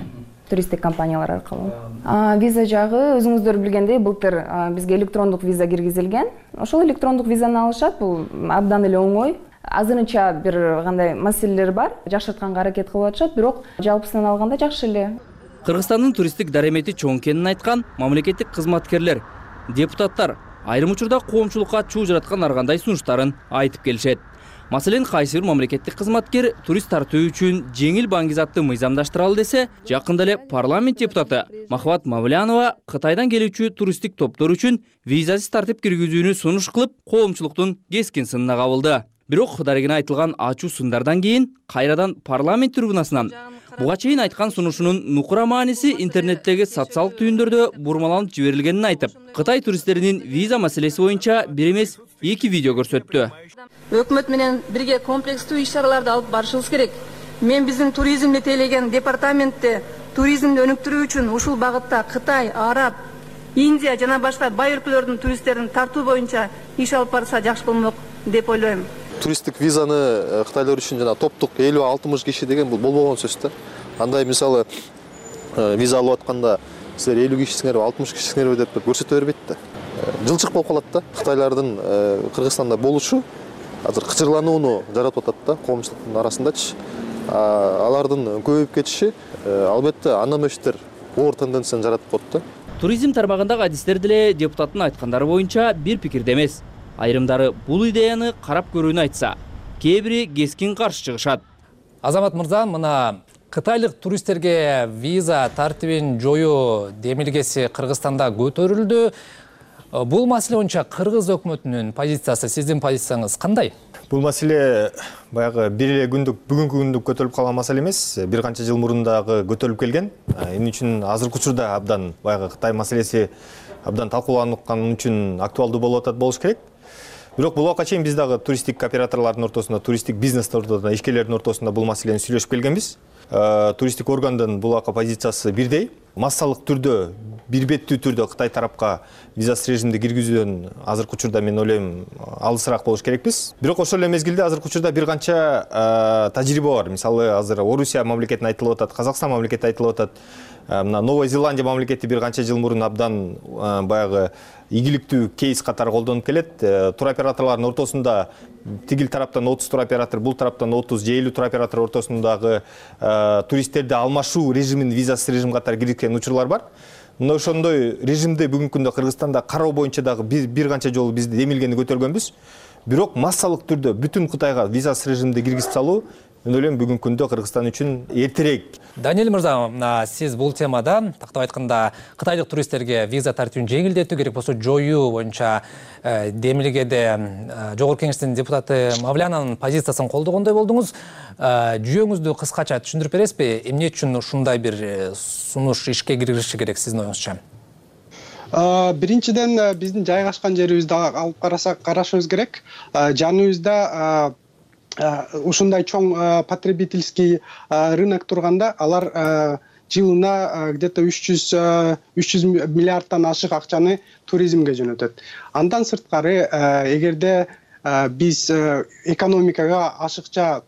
[SPEAKER 24] Туристтик компаниялар аркылуу. Виза жагы өзүңүздөр билгендей былтыр бизге электрондук виза киргизилген. Ошол электрондук визаны алышат, бул абдан эле оңой. Азырынча бир кандай маселелер бар, жакшыртканга аракет кылып атышат, бирок жалпысынан алганда жакшы эле.
[SPEAKER 23] Кыргызстандын туристтик даремети чоң экенин айткан мамлекеттик кызматкерлер, депутаттар айрым учурда коомчулукка чуу жараткан ар кандай сунуштарын айтып келишет. Маселен, кайсы бир мамлекеттик кызматкер турист тартуу үчүн жеңил баңгизатты мыйзамдаштыралы десе, жакында эле парламент депутаты Махабат Мавлянова Кытайдан келүүчү туристтик топтор үчүн визасыз тартип киргизүүнү сунуш кылып, коомчулуктун кескин сынына кабылды. Бирок дарегине айтылган ачуу сындардан кийин кайрадан парламент трибунасынан буга чейин айткан сунушунун нукура мааниси интернеттеги социалдык түйүндөрдө бурмаланып жиберилгенин айтып, Кытай туристтеринин виза маселеси боюнча бир эмес 2 видео көрсөттү.
[SPEAKER 25] Өкмөт менен бирге комплекстүү иш-чараларды алып барышыбыз керек. Мен биздин туризмди тейлеген департаментте туризмди өнүктүрүү үчүн ушул багытта Кытай, Араб, Индия жана башка бай өлкөлөрдүн туристтерин тартуу боюнча иш алып барса жакшы болмок деп ойлойм.
[SPEAKER 26] Туристтик визаны кытайлар үчүн жана топтук 50-60 киши деген бул болбогон сөз да. Андай мисалы виза алып атканда силер 50 кишисиңерби, 60 кишисиңерби деп көрсөтө бербейт да. Жылчык болуп калат да. Кытайлардын Кыргызстанда болушу азыр кычырланууну жаратып атат да коомчулуктун арасындачы. Алардын көбөйүп кетиши албетте анамөштөр оор тенденцияны жаратып коет да.
[SPEAKER 23] Туризм тармагындагы адистер деле депутаттын айткандары боюнча бир пикирде эмес. Айрымдары бул идеяны карап көрүүнү айтса, кээ бири кескин каршы чыгышат.
[SPEAKER 19] Азамат мырза, мына кытайлык туристтерге виза тартибин жоюу демилгеси Кыргызстанда көтөрүлдү. Бул маселе боюнча Кыргыз өкмөтүнүн позициясы, сиздин позицияңыз кандай?
[SPEAKER 17] Бул маселе баягы бир эле күндүк, бүгүнкү күндүк көтөрүлүп калган маселе эмес. Бир канча жыл мурун дагы көтөрүлүп келген. Эмне үчүн азыркы учурда абдан баягы Кытай маселеси абдан талкууланткан үчүн актуалдуу болуп атат болуш керек. Бирок бул убакка чейин биз дагы туристтик операторлордун ортосунда, туристтик бизнестин ортосунда, ишкерлердин ортосунда бул маселени сүйлөшүп келгенбиз. Туристтик органдын бул убакка позициясы бирдей. Массалык түрдө, бир беттүү түрдө Кытай тарапка визасыз режимди киргизүүдөн азыркы учурда мен ойлойм алысыраак болуш керекпиз. Бирок ошол эле мезгилде азыркы учурда бир канча тажрыйба бар. Мисалы азыр Орусия мамлекетин айтылып атат, Казакстан мамлекети айтылып атат. Мына Новая Зеландия мамлекети бир канча жыл мурун абдан баягы ийгиликтүү кейс катары колдонуп келет. Туроператорлордун ортосунда тигил тараптан 30 туроператор, бул тараптан 30 же 50 туроператор ортосундагы туристтерди алмашуу режимин визасыз режим катары киргизген учурлар бар. Мына ошондой режимди бүгүнкү күндө Кыргызстанда кароо боюнча дагы бир канча жолу биз демилгени көтөргөнбүз. Бирок массалык түрдө бүтүн Кытайга визасыз режимди киргизип салуу мен ойлойм бүгүнкү күндө Кыргызстан үчүн эртерээк.
[SPEAKER 19] Даниэль мырза, сиз бул темада тактап айтканда кытайлык туристтерге виза тартибин жеңилдетүү керек болсо жоюу боюнча демилгеде Жогорку Кеңештин депутаты Мавлянанын позициясын колдогондой болдуңуз. Жүйөңүздү кыскача түшүндүрүп бересизби? Эмне үчүн ушундай бир сунуш ишке киргизиши керек сиздин оюңузча?
[SPEAKER 2] Биринчиден биздин жайгашкан жерибизди алып карашыбыз керек. Жаныбызда ушундай чоң потребительский рынок турганда алар жылына где-то 300 миллиардтан ашык акчаны туризмге жөнөтөт. Андан сырткары эгерде биз экономикага ашыкча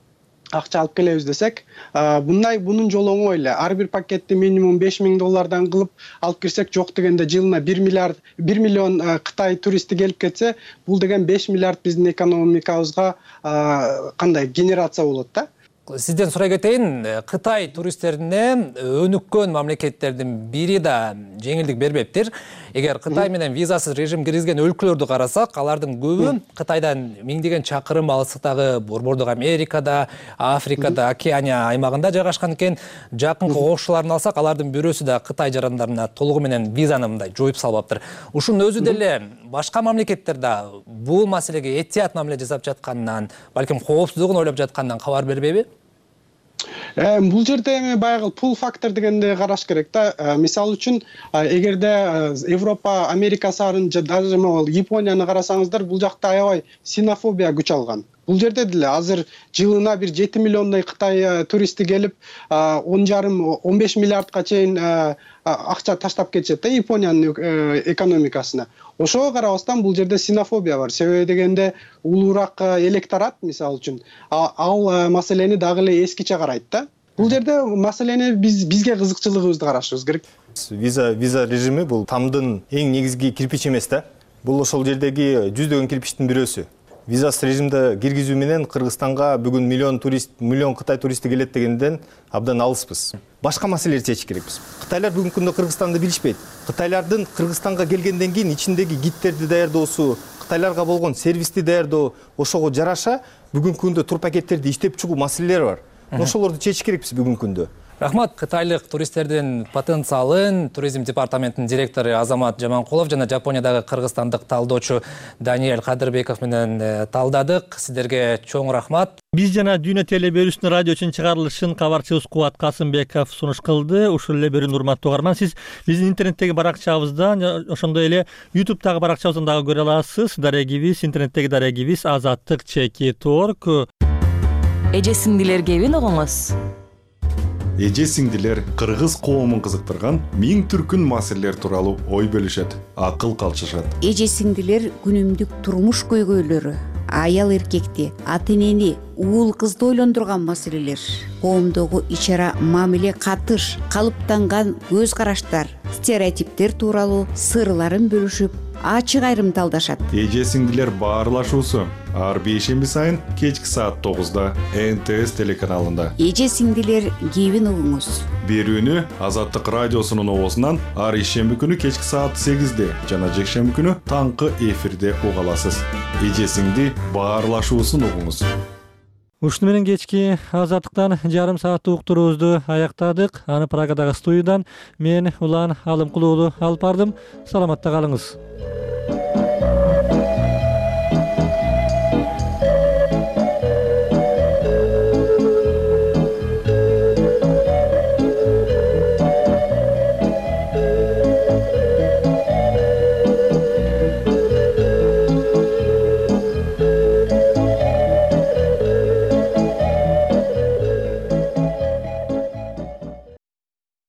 [SPEAKER 2] акча алып келебиз десек, бунун жолу оңой эле. Ар бир пакетти минимум $5000 кылып алып кирсек, жок дегенде жылына 1 миллион Кытай туристи келип кетсе, бул деген 5 миллиард биздин экономикабызга кандай генерация болот да.
[SPEAKER 19] Сизден сурай кетейин, Кытай туристтерине өнүккөн мамлекеттердин бири да жеңилдик бербептир. Эгер Кытай менен визасыз режим киргизген өлкөлөрдү карасак, алардын көбү Кытайдан миңдеген чакырым алыстыктагы Борбордук Америкада, Африкада, Океания аймагында жайгашкан экен. Жакынкы кошуларын алсак, алардын бирөөсү да Кытай жарандарына толугу менен визаны мындай жоюп салбаптыр. Ушунун өзү деле башка мамлекеттерде бул маселеге этият мамиле жасап жатканынан, балким коопсуздугун ойлоп жатканынан кабар бербейби?
[SPEAKER 2] Бул жерде эми баягы пул фактор дегенди караш керек да. Мисалы үчүн, эгерде Европа, Америка сарын же даже могул Японияны карасаңыздар, бул жакта аябай синофобия күч алган. Бул жерде деле азыр жылына бир 7 миллиондой Кытай туристи келип, 10,5-15 миллиардка чейин акча таштап кетишет да Япониянын экономикасына. Ошого карабастан бул жерде синофобия бар. Себеби дегенде улуураак электорат, мисалы үчүн, ал маселени дагы эле эскиче карайт да. Бул жерде маселени бизге кызыкчылыгыбызды карашыбыз керек.
[SPEAKER 17] Виза режими бул тамдын эң негизги кирпичи эмес да. Бул ошол жердеги жүздөгөн кирпичтин бирөөсү. Визасыз режимди киргизүү менен Кыргызстанга бүгүн миллион Кытай туристи келет дегенден абдан алыспыз. Башка маселелерди чечиш керекпиз. Кытайлар бүгүнкү күндө Кыргызстанды билишпейт. Кытайлардын Кыргызстанга келгенден кийин ичиндеги гидтерди даярдоосу, Кытайларга болгон сервисти даярдоо, ошого жараша бүгүнкү күндө тур пакеттерди иштеп чыгуу маселелери бар. Ошолорду чечиш керекпиз бүгүнкү күндө.
[SPEAKER 19] Рахмат, кытайлык туристтердин потенциалын туризм департаментинин директору Азамат Жаманкулов жана Жапониядагы кыргызстандык талдоочу Даниэль Кадырбеков менен талдадык. Сиздерге чоң рахмат.
[SPEAKER 1] Биз жана Дүйнө теле берүүсүнүн радио үчүн чыгарылышын кабарчыбыз Кубат Касымбеков сунуш кылды. Ушул эле берүүнү урматтуу угарман, сиз биздин интернеттеги баракчабыздан, ошондой эле YouTube'дагы баракчабыздан дагы көрө аласыз. Дарегибиз, интернеттеги дарегибиз azаттык.org.
[SPEAKER 3] Эже сиңдилер кебин угуңуз.
[SPEAKER 9] Эже сиңдилер кыргыз коомун кызыктырган миң түркүн маселелер тууралуу ой бөлүшөт, акыл калчышат.
[SPEAKER 10] Эже сиңдилер күнүмдүк турмуш көйгөйлөрү, аял эркекти, ата энени, уул кызды ойлондурган маселелер, коомдогу ич-ара мамиле, катыш, калыптанган көз караштар, стереотиптер тууралуу сырларын бөлүшүп, ачык айрым талдашат.
[SPEAKER 9] Эже сиңдилер баарлашуусу ар бейшемби сайын кечки саат 9-да НТС телеканалында.
[SPEAKER 10] Эже сиңдилер кебин угуңуз.
[SPEAKER 9] Берүүнү Азаттык радиосунун обосунан ар ишемби күнү кечки саат 8-де жана жекшемби күнү таңкы эфирде уга аласыз. Эже сиңди баарлашуусун угуңуз.
[SPEAKER 1] Ушуну менен кечки азаттыктан жарым сааттык уктуруубузду аяктадык. Аны Прагадагы студиядан мен Улан Алымкулуулу алып бардым. Саламатта калыңыз.